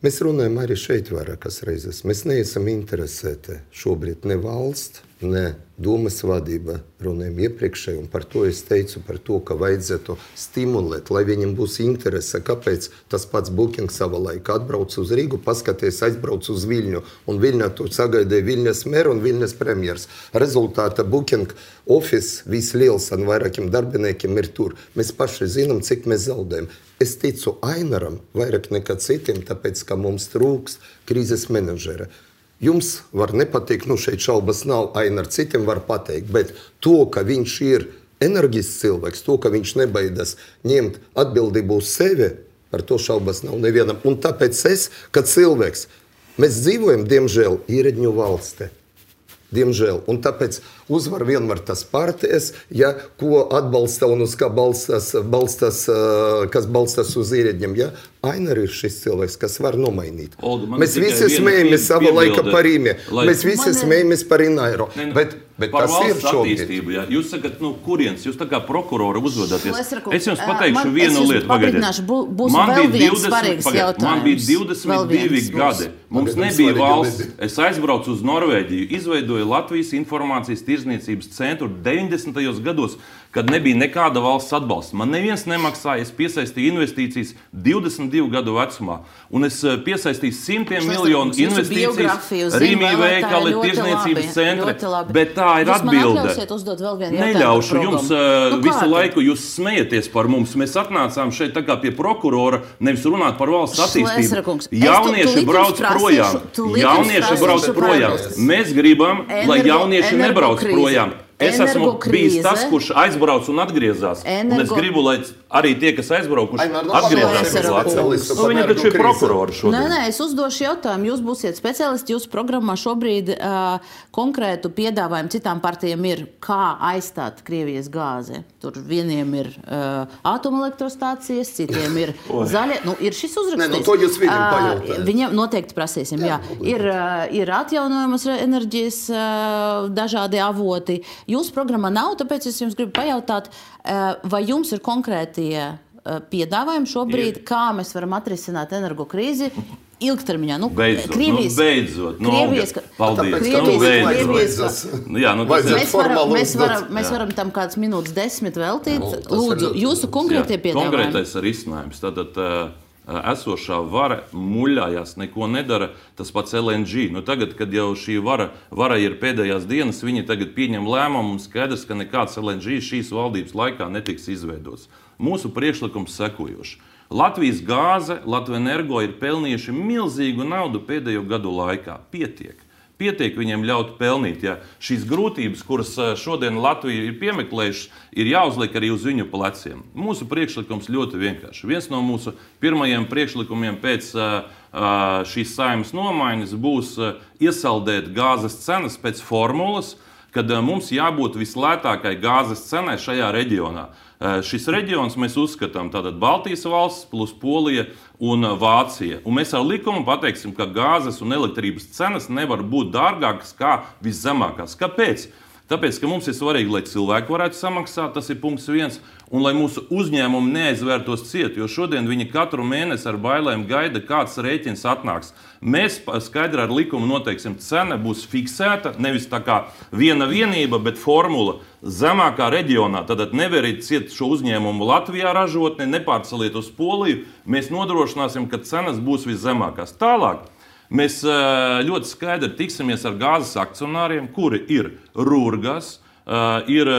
mēs runājam arī šeit vairākas reizes. Mēs neesam interesēti šobrīd ne valsts, ne Dūmas vadība, runājam iepriekšēji, un par to es teicu, par to, ka vajadzētu stimulēt, lai viņam būs interese, kāpēc tas pats Booking sava laika atbrauc uz Rīgu, paskaties, aizbrauc uz Viļņu, un Viļņā tur sagaidīja Viļņas meru un Viļņas premjers. Rezultātā Booking office visliels un vairākiem darbiniekiem ir tur. Mēs paši zinām, cik mēs zaudējam. Es ticu Ainaram vairāk nekā citiem, tāpēc, ka mums trūks krīzes menedžera. Jums var nepatikt, nu šeit šaubas nav, Ainar citiem var pateikt, bet to, ka viņš ir enerģisks cilvēks, to, ka viņš nebaidās ņemt atbildību uz sevi, par to šaubas nav nevienam. Un tāpēc es, ka cilvēks, mēs dzīvojam, diemžēl, ieredņu valstī. Diemžēl. Un tāpēc uzvar vienmēr tas partijas, ja, ko atbalsta un uz kā balstās, balstās, kas balstās uz ieredņiem. Ja? Ainar ir šis cilvēks, kas var nomainīt. Olga, mēs visi smējamies sava laika par Rīmē. Lai... Mēs visi man... smējamies par Inairo. Ne, ne, bet, bet par tas ir šobrīd. Ja. Jūs sakat, nu, kuriens? Jūs tā kā prokurora uzvedaties. Šlesrakungs, es jums pateikšu man, vienu es lietu. Pagaidiet. Būs man vēl viens svarīgs pagaidiet, jautājums. Man bija divdesmit divi gadi. Mums Pagaidiet, nebija valsts. Es aizbraucu uz Norvēģiju, izveidoju Latvijas informācijas tirzniecības centru deviņdesmitajos gados, kad nebija nekāda valsts atbalsta. Man neviens nemaksāja, es piesaistīju investīcijas divdesmit divu gadu vecumā. Un es piesaistīju simtiem miljonu investīcijas, Rīmī veikali, tirzniecības centri. Bet tā ir atbilde. Neļaušu jums nu, visu laiku, jūs smejaties par mums. Mēs atnācām šeit tā kā pie prokurora, nevis runāt par valsts attīstību. Jaunieši brauc projām. Jaunieši brauc projām. Mēs gribam, lai jaunieši nebrauc projām. Es esmu bijis tas, kurš aizbrauc un atgriezās. Energo... Un es gribu, lai arī tie, kas aizbraukuši, atgriezās uz Latviju. Nu, viņi taču ir prokurori šodien. Nē, nē, es uzdošu jautājumu. Jūs būsiet speciālisti, jūsu programmā šobrīd uh, konkrētu piedāvājumu citām partijām ir, kā aizstāt Krievijas gāzi. Tur vieniem ir uh, atomelektrostācijas, citiem ir zaļie. Nu, ir šis uzrakstīts. Nē, nu, to jūs viņam pajautājat. Uh, viņam noteikti prasīsim, jā. jā. Ir, uh, ir atjaunojamas enerģijas uh, dažādi avoti. Jūsu programmā nav, tāpēc es jums gribu pajautāt, vai jums ir konkrētie piedāvājumi šobrīd, ir. Kā mēs varam atrisināt energo krīzi ilgtermiņā? Nu, beidzot, Krievijas, nu, beidzot. Nu, Krievijas, paldies. Krievijas, nu, Krievijas, jā, nu, mēs, varam, mēs, varam, mēs varam tam kāds minūtes desmit veltīt. Nu, Lūdzu, jūsu konkrētie piedāvājumi. Konkrētais risinājums. Tātad, esošā vara muļājās, neko nedara, tas pats L N G. Nu, tagad, kad jau šī vara, vara ir pēdējās dienas, viņi tagad pieņem lēmumu un skaidrs, ka nekāds L N G šīs valdības laikā netiks izveidots. Mūsu priekšlikums sekojoši. Latvijas gāze, Latvenergo ir pelnījuši milzīgu naudu pēdējo gadu laikā. Pietiek. Pietiek viņiem ļaut pelnīt. Ja šīs grūtības, kuras šodien Latvija ir piemeklējušas, ir jāuzliek arī uz viņu pleciem. Mūsu priekšlikums ļoti vienkārši. Viens no mūsu pirmajiem priekšlikumiem pēc šīs Saeimas nomaiņas būs iesaldēt gāzes cenas pēc formulas, kad mums jābūt vislētākai gāzes cenai šajā reģionā. Šis reģions mēs uzskatām tātad Baltijas valsts plus Polija un Vācija. Un mēs ar likumu pateiksim, ka gāzes un elektrības cenas nevar būt dārgākas kā viszemākās. Kāpēc? Tāpēc, ka mums ir svarīgi, lai cilvēki varētu samaksāt, tas ir punkts viens, un lai mūsu uzņēmumi neaizvērtos ciet, jo šodien viņi katru mēnesi ar bailēm gaida, kāds rēķins atnāks. Mēs skaidri ar likumu noteiksim, cena būs fiksēta, nevis tā kā viena vienība, bet formula zemākā reģionā. Tad neveriet ciet šo uzņēmumu Latvijā ražotni, nepārceliet uz Poliju, mēs nodrošināsim, ka cenas būs viszemākās. Tālāk. Mēs ļoti skaidri tiksimies ar gāzes akcionāriem, kuri ir Rūrgas, ir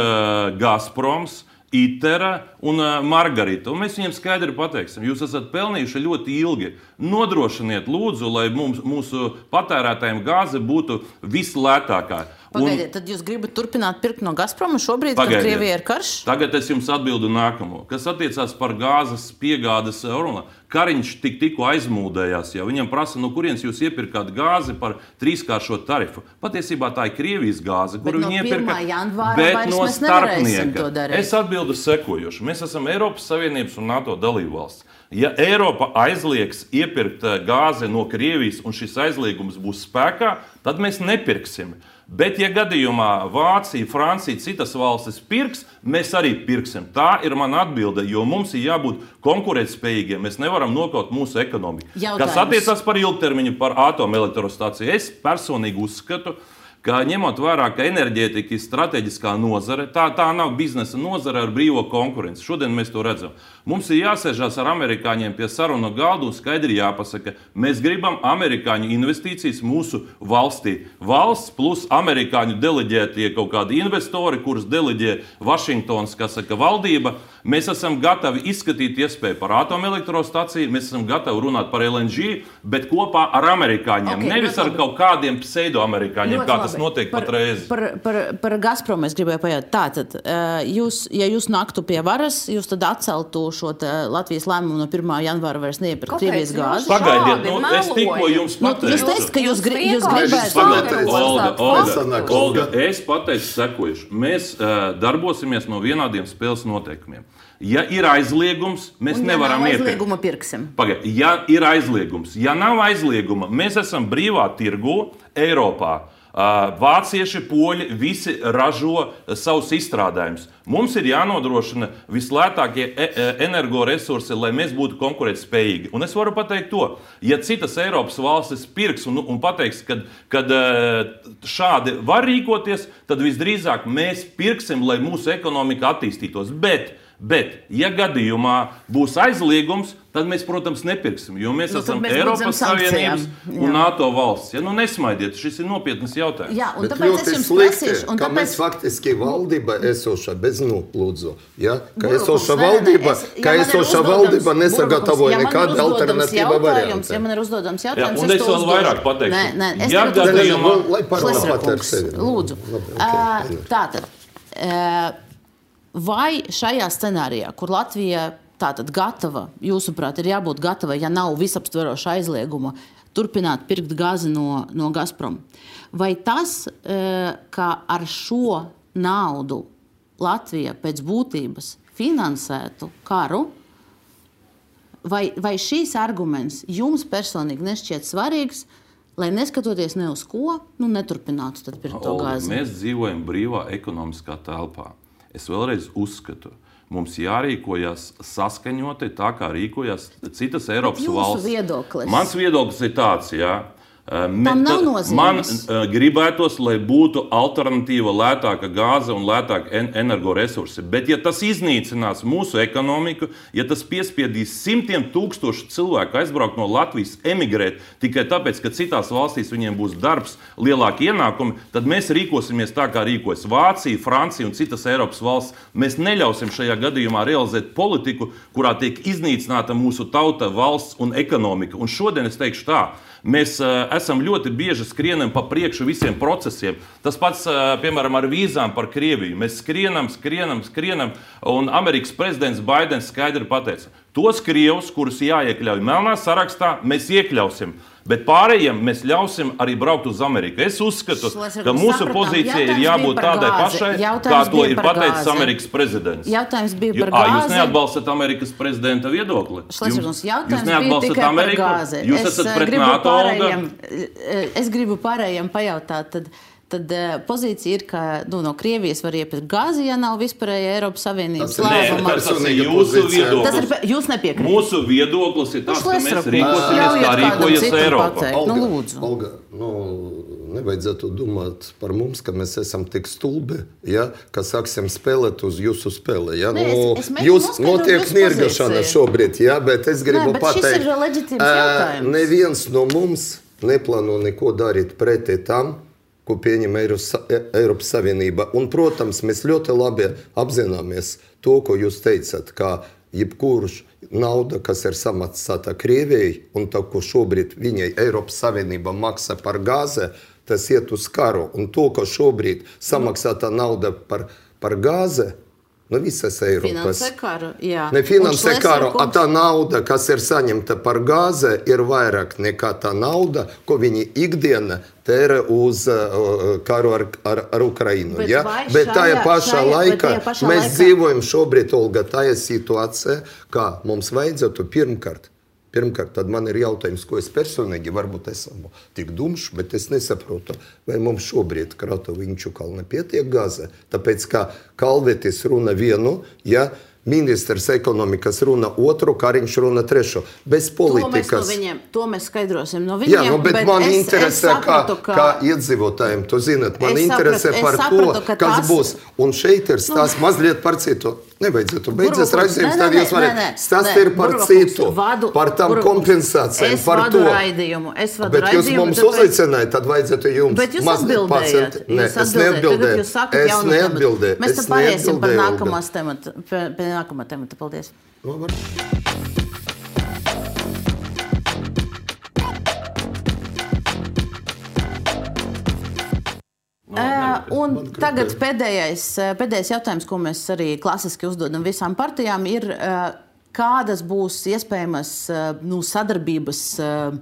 Gazproms, Itera un Margarita. Un mēs viņiem skaidri pateiksim, jūs esat pelnījuši ļoti ilgi. Nodrošiniet lūdzu, lai mums, mūsu patērētājiem gāze būtu vislētākā. Pagaidiet, tad jūs gribat turpināt pirkt no Gazproma šobrīd, kad Krievija ir karš? Tagad es jums atbildu nākamo. Kas attiecās par gāzes piegādes runā. Kariņš tik tikko aizmūdējās, ja viņam prasa, no kurienes jūs iepirkāt gāzi par trīskāršo tarifu. Patiesībā tā ir Krievijas gāze, kuru viņi iepirka, bet no starpnieka. Es atbildu sekojoši. Mēs esam Eiropas Savienības un NATO dalībvalsts. Ja Eiropa aizliegs iepirkt gāzi no Krievijas un šis aizliegums būs spēkā, tad mēs nepirksim. Bet, ja gadījumā Vācija, Francija, citas valstis pirks, mēs arī pirksim. Tā ir mana atbilde, jo mums ir jābūt konkurētspējīgiem. Mēs nevaram nokaut mūsu ekonomiku. Jautājums. Kas attiecas par ilgtermiņu, par atomelektrostaciju, es personīgi uzskatu, ka ņemot vērā, ka enerģētika ir strateģiskā nozare, tā, tā nav biznesa nozare ar brīvo konkurenci. Šodien mēs to redzam. Mums ir jāsēžās ar amerikāņiem pie sarunu galda un skaidri jāpasaka, mēs gribam amerikāņu investīcijas mūsu valstī. Valsts plus amerikāņu deleģētie kaut kādi investori, kurus deleģē Vašingtons, kas saka valdība. Mēs esam gatavi izskatīt iespēju par atomelektrostaciju, mēs esam gatavi runāt par L N G, bet kopā ar amerikāņiem, okay, nevis ar kaut kādiem pseidoamerikāņiem, kā tas notiek par, patreiz. Par, par, par Gazpromu es gribēju pajautāt. Tātad, jūs, ja jūs naktu pie varas, jūs tad atceltu šo Latvijas lēmumu no pirmā janvāra vairs neiepirkt Krievijas gāzi? Pagaidiet, nu, es tikko jums pateicu. Nu, jūs teicat, ka jūs, gri, jūs gribētu... Pagaidiet, Olga, Olga, Olga, es pateicu sekojuši. Mēs uh, darbosimies no vienādiem spēles noteikumiem. Ja ir aizliegums, mēs un, nevaram ja iepirkt. Aizlieguma pirksim. Pagaidiet, ja ir aizliegums, ja nav aizlieguma, mēs esam brīvā tirgu Eiropā. Vācieši, poļi, visi ražo savus izstrādājumus. Mums ir jānodrošina vislētākie energoresursi, lai mēs būtu konkurētspējīgi. Un es varu pateikt to, ja citas Eiropas valstis pirks un, un pateiks, kad, kad šādi var rīkoties, tad visdrīzāk mēs pirksim, lai mūsu ekonomika attīstītos. Bet, bet ja gadījumā būs aizliegums, tad mēs, protams, nepirksim, jo mēs nu, esam mēs Eiropas Savienības un NATO valsts. Ja, nu nesmaidiet, šis ir nopietnas jautājums. Jā, un bet tāpēc es jums prasīšu. Un ka tāpēc... mēs faktiski valdība esoša bez nolūdzu. Ja? Ka Burkums, esoša nē, nē, valdība, es, ka ja esoša valdība nesagatavoja nekādu alternatīvu variantu. Ja man ir uzdodams jautājums, jā, un es vēl vairāk pateikšu. Nē, nē, es ja gadījumā... Lai parunā pateikt sevi. Lūdzu. Tātad, vai šajā scenārijā, kur Latvija tātad gatava, jūsuprāt, ir jābūt gatava, ja nav visaptveroša aizlieguma, turpināt pirkt gāzi no, no Gazprom. Vai tas, ka ar šo naudu Latvija pēc būtības finansētu karu, vai, vai šīs arguments jums personīgi nešķiet svarīgs, lai neskatoties ne uz ko, nu neturpinātu tad pirkt to gāzi? Mēs dzīvojam brīvā ekonomiskā telpā. Es vēlreiz uzskatu, mums jārīkojas saskaņoti tā, kā rīkojas citas Eiropas valsts. Viedoklis. Mans viedoklis ir tāds, jā. Tam nav nozīmes. Man uh, gribētos, lai būtu alternatīva lētāka gāze un lētāka en energoresursi. Bet, ja tas iznīcinās mūsu ekonomiku, ja tas piespiedīs simtiem tūkstošu cilvēku aizbraukt no Latvijas, emigrēt tikai tāpēc, ka citās valstīs viņiem būs darbs, lielāki ienākumi, tad mēs rīkosimies tā, kā rīkojas Vācija, Francija un citas Eiropas valsts. Mēs neļausim šajā gadījumā realizēt politiku, kurā tiek iznīcināta mūsu tauta, valsts un ekonomika. Un šodien es teikšu tā. Mēs uh, esam ļoti bieži skrienam pa priekšu visiem procesiem. Tas pats, uh, piemēram, ar vīzām par Krieviju. Mēs skrienam, skrienam, skrienam, un Amerikas prezidents Baidens skaidri pateica, tos krievus, kurus jāiekļauj melnā sarakstā, mēs iekļausim. Bet pārējiem mēs ļausim arī braukt uz Ameriku. Es uzskatu, ka mūsu pozīcija ir jābūt tādai pašai, kā to ir pateicis Amerikas prezidents. Jautājums bija par gāzi. gāzi. Jūs neatbalstat Amerikas prezidenta viedokli? Jūs, jūs neatbalstat Ameriku? Jūs esat pret NATO? Es gribu pārējiem pajautāt, tad, tad pozīcija ir, ka nu, no Krievijas var iepirkt gāzi, ja nav vispārēja Eiropas Savienības lēmuma. Tas ir jūsu viedoklis. Tas ir, jūs nepiekrīt. Mūsu viedoklis ir tāds, ka mēs rīkosimies, kā rīkojas Eiropa. Nu, lūdzu. Olga, nu, nevajadzētu domāt par mums, ka mēs esam tik stulbi, ja, ka sāksim spēlēt uz jūsu spēli. Ja? Ne, nu, es, es jūs notiek nirgašana šobrīd, ja, bet es gribu ne, pateikt, šis ir leģitīms jautājums. Neviens no mums neplāno neko darīt pretī tam, ko pieņem Eiropas Savienība. Un, protams, mēs ļoti labi apzināmies to, ko jūs teicat, ka jebkurš nauda, kas ir samaksāta Krievijai, un tā, ko šobrīd viņai Eiropas Savienība maksā par gāzi, tas iet uz karu. Un to, ko šobrīd samaksāta nauda par, par gāzi, no visas Eiropas. Finansē karu, jā. Ne finansē karu, a tā nauda, kas ir saņemta par gāzi, ir vairāk nekā tā nauda, ko viņi ikdiena tērē uz uh, karu ar, ar, ar Ukrainu. Bet, ja? bet tajā pašā šajā, laikā pašā mēs laikā... dzīvojam šobrīd, Olga, tajā situācijā, kā mums vajadzētu pirmkārt Pirmkārt, tad man ir jautājums, ko es personīgi, varbūt esmu tik dumšs, bet es nesaprotu, vai mums šobrīd Kratovu Inčukalne pietiek gāze. Tāpēc, kā Kalvetis runa vienu, ja ministrs ekonomikas runa otru, Kariņš runa trešu. Bez politikas. To mēs, no viņiem, to mēs skaidrosim no viņiem. Jā, nu, bet, bet man es, interesē, es sapratu, kā, kā iedzīvotājiem, tu zinat, man interesē sapratu, par sapratu, to, kas tas... būs. Un šeit ir stāsts nu, mazliet par citu. Nevajadzētu. Beidzies raidījums, tad jūs varat. Stāsts ir par citu, vadu, par tam kompensācijām, par to. Raidījumu, es vadu bet raidījumu. Bet jūs mums tāpēc... uzaicinājāt, tad vajadzētu jums bet jūs mazliet pacelt. Nē, es neatbildēju. Es neatbildēju. Mēs tad pāriesim par nākamās temata, pie nākamā temata. Paldies. No, var. Uh, un tagad pēdējais, pēdējais jautājums, ko mēs arī klasiski uzdodam visām partijām, ir, uh, kādas būs iespējamas uh, nu, sadarbības uh,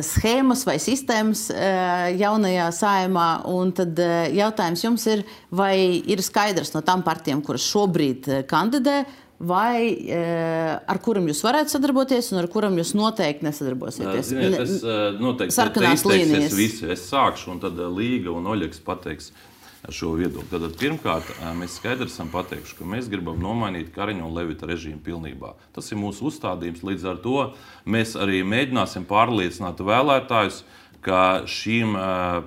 schēmas vai sistēmas uh, jaunajā Saeimā. Un tad uh, jautājums jums ir, vai ir skaidrs no tām partijām, kuras šobrīd uh, kandidē, vai e, ar kuram jūs varētu sadarboties un ar kuram jūs noteikti nesadarbosieties? Ziniet, es noteikti sarkanās līnijas. Visu. Es sākšu, un tad Līga un Oļegs pateiks šo viedokli. Tad pirmkārt, mēs skaidri esam pateikuši, ka mēs gribam nomainīt Kariņa un Levita režīmu pilnībā. Tas ir mūsu uzstādījums. Līdz ar to mēs arī mēģināsim pārliecināt vēlētājus, ka šīm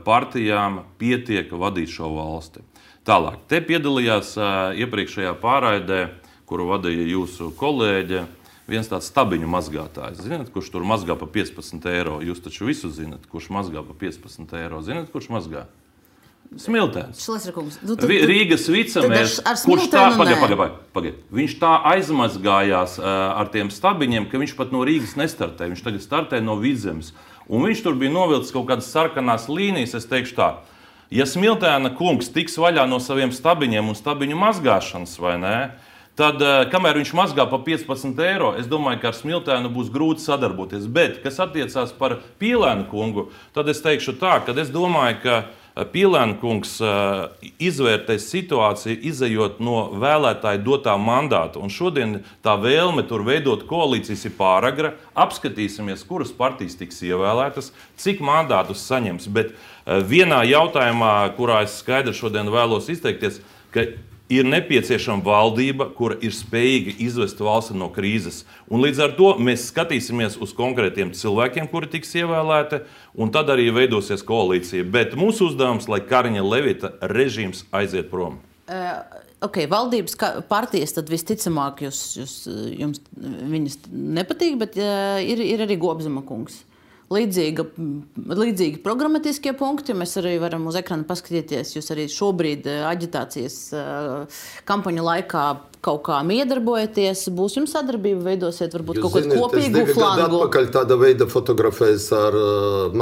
partijām pietiek vadīt šo valsti. Tālāk, te piedalījās iepriekšējā pārraidē, kuru vadīja jūsu kolēģe, viens tāds stabiņu mazgātājs. Zināt, kurš tur mazgā pa piecpadsmit eiro? Jūs taču visu zināt, kurš mazgā pa piecpadsmit eiro. Zināt, kurš mazgā? Smiltēns. Nu, tu, Rīgas vicemērs, kurš tā, pagaid, pagaid, pagaid, pagaid. Viņš tā aizmazgājās uh, ar tiem stabiņiem, ka viņš pat no Rīgas nestartē. Viņš tagad startē no Vidzemes. Un viņš tur bija novilcis kaut kādas sarkanās līnijas, es teikšu tā. Ja Smiltēna kungs tiks vaļā no saviem stabiņiem un stabiņu mazgāšanas, vai ne? Tad, kamēr viņš mazgā pa piecpadsmit eiro, es domāju, ka ar Smiltēnu būs grūti sadarboties. Bet, kas attiecās par Pīlēnu kungu, tad es teikšu tā, ka es domāju, ka Pīlēna kungs izvērtēs situāciju, izejot no vēlētāju dotā mandāta. Un šodien tā vēlme tur veidot koalīcijas ir pāragra. Apskatīsimies, kuras partijas tiks ievēlētas, cik mandātus saņems. Bet vienā jautājumā, kurā es skaidri šodien vēlos izteikties, ka ir nepieciešama valdība, kura ir spējīga izvest valsti no krīzes. Un līdz ar to mēs skatīsimies uz konkrētiem cilvēkiem, kuri tiks ievēlēti, un tad arī veidosies koalīcija. Bet mūsu uzdevums, lai Kariņa Levita režīms aiziet prom. Uh, ok, valdības partijas tad visticamāk jūs, jūs, jums viņas nepatīk, bet uh, ir, ir arī Gobzema kungs. Līdzīga, līdzīgi programmatiskie punkti. Mēs arī varam uz ekrana paskatīties. Jūs arī šobrīd aģitācijas kampaņu laikā kaut kā miedarbojaties. Būs jums sadarbība, veidosiet varbūt jūs kaut kādu kopīgu flangu. Es divi atpakaļ tāda veida fotografējas ar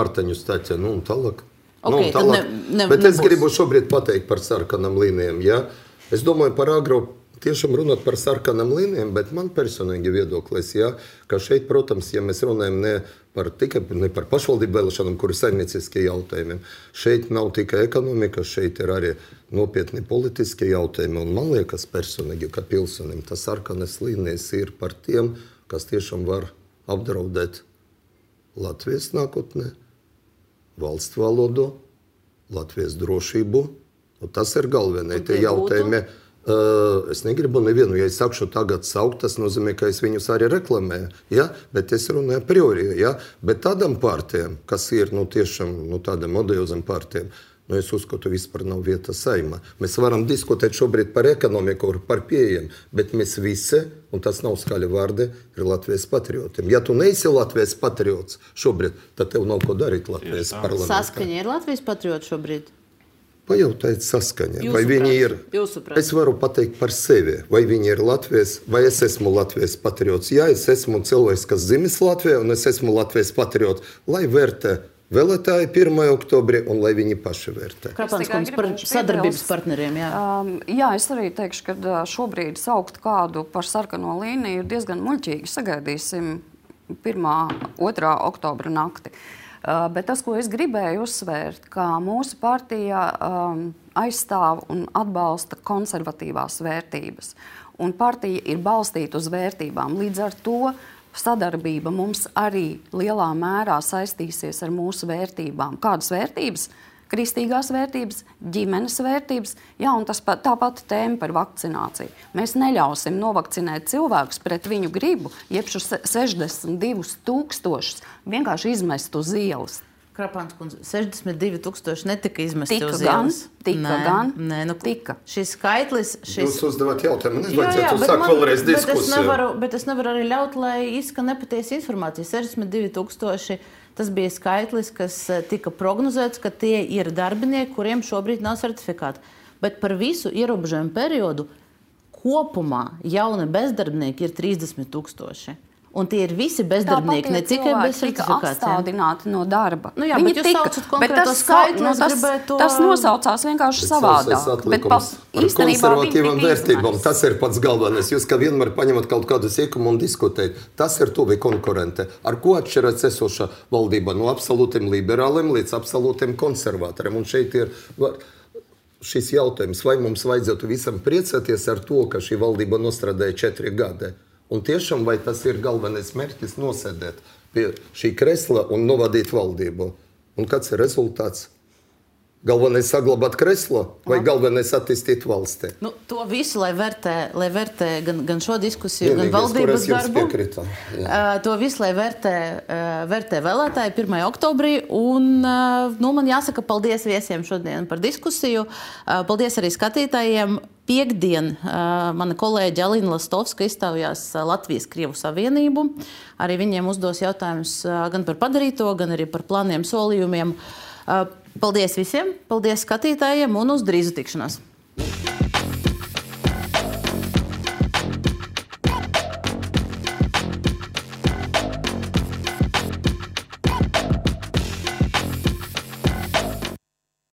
Martaņu Staķi. Nu, un tālāk. Okay, nu, un tālāk. Ne, ne, Bet nebūs. Es gribu šobrīd pateikt par sarkanām līnijām. Ja? Es domāju par agro. Tiešām runāt par sarkanām līnijām, bet man personīgi viedoklis, ja, ka šeit, protams, ja mēs runājam ne par, tikai, ne par pašvaldību vēlēšanām, kur ir saimnieciskie jautājumi, šeit nav tikai ekonomika, šeit ir arī nopietni politiskie jautājumi. Un man liekas personīgi, ka pilsonim tas sarkanas līnijas ir par tiem, kas tiešām var apdraudēt Latvijas nākotnē, valsts valodu, Latvijas drošību. Un tas ir galvenie tie jautājumi. Uh, es negribu nevienu, ja es sakšu tagad saukt, tas nozīmē, ka es viņus arī reklamēju, ja? Bet es runāju priori, ja? Bet tādām partijām, kas ir nu, tiešām nu, tādām odiozām partijām, nu, es uzskatu, vispār nav vieta Saeimā. Mēs varam diskutēt šobrīd par ekonomiku, par pieejam, bet mēs visi, un tas nav skaļi vārdi, ir Latvijas patriotiem. Ja tu neesi Latvijas patriots šobrīd, tad tev nav ko darīt Latvijas parlamentā. Saskaņa ir Latvijas patrioti šobrīd? Pajautājiet saskaņā, Jūsu vai prāt, viņi ir, prāt. Es varu pateikt par sevi, vai viņi ir Latvijas, vai es esmu Latvijas patriots. Jā, es esmu cilvēks, kas dzimis Latvijā, un es esmu Latvijas patriots, lai vērtē vēlētāji pirmajā oktobrī, un lai viņi paši vērtē. Krapāns kungs par sadarbības partneriem, jā. Um, jā, es arī teikšu, ka šobrīd saukt kādu par sarkano līniju ir diezgan muļķīgi. Sagaidīsim pirmā, otrā oktobra nakti. Uh, bet tas, ko es gribēju uzsvērt, ka mūsu partija um, aizstāv un atbalsta konservatīvās vērtības. Un partija ir balstīta uz vērtībām. Līdz ar to sadarbība mums arī lielā mērā saistīsies ar mūsu vērtībām. Kādas vērtības? Kristīgās vērtības, ģimenes vērtības, jā, un tas pat, tā pati tēma par vakcināciju. Mēs neļausim novakcinēt cilvēkus pret viņu gribu, jeb šo sešdesmit divus tūkstošus vienkārši izmest uz ielas. Krapāns kundze, sešdesmit divi tūkstoši netika izmesti tika uz gan, ielas. Tika nē, gan, nē, nu, tika. Šis skaitlis... Šis... Jūs uzdevat jautājumu, jā, jā, nevajadzētu bet uzsākt man- vēlreiz bet es diskusiju. nevaru, bet es nevaru arī ļaut, lai izskan nepatiesa informācija. sešdesmit divi tūkstoši, tas bija skaitlis, kas eh, tika prognozēts, ka tie ir darbinieki, kuriem šobrīd nav certifikāti. Bet par visu ierobežojumu periodu kopumā jauni bezdarbnieki ir trīsdesmit tūkstoši. Un tie ir visi bezdarbnieki, ne tikai bez tika certifikācijām. apstādināti no darba. Nu jā, Viņi bet jūs tika, saucat bet konkrēto tas, skaitli, nu, es tas, gribēju to- tas nosaucās vienkārši Bet savādāk. sausais Bet pa, atlikums par īstenībā viņi konservatīvām tika vērtībām. izmesti. Tas ir pats galvenais. Jūs kā vienmēr paņemat kaut kādu sīkumu un diskutējat. Tas ir tuvi konkurente. Ar ko atšķiras esoša valdība no absolūtiem liberāliem līdz absolūtiem konservatoriem? Un šeit ir šis jautājums, vai mums vajadzētu visam priecāties ar to, ka šī valdība nostrādāja četri gadi. Un tiešām, vai tas ir galvenais mērķis nosēdēt pie šī kresla un novadīt valdību? Un kāds ir rezultāts? Galvenais saglabāt kreslo vai galvenais attīstīt valsti? Nu, to visu, lai vērtē, lai vērtē gan, gan šo diskusiju, Vienīgais, gan valdības kur es jums darbu. piekrītu, jā. Uh, to visu, lai vērtē, uh, vērtē vēlētāji pirmajā oktobrī. Un, uh, nu, man jāsaka paldies viesiem šodien par diskusiju. Uh, paldies arī skatītājiem. Piektdien uh, mana kolēģe Alina Lastovska izstājās Latvijas-Krievu savienību. Arī viņiem uzdos jautājumus uh, gan par padarīto, gan arī par plāniem, solījumiem. Uh, paldies visiem, paldies skatītājiem un uz drīzu tikšanās!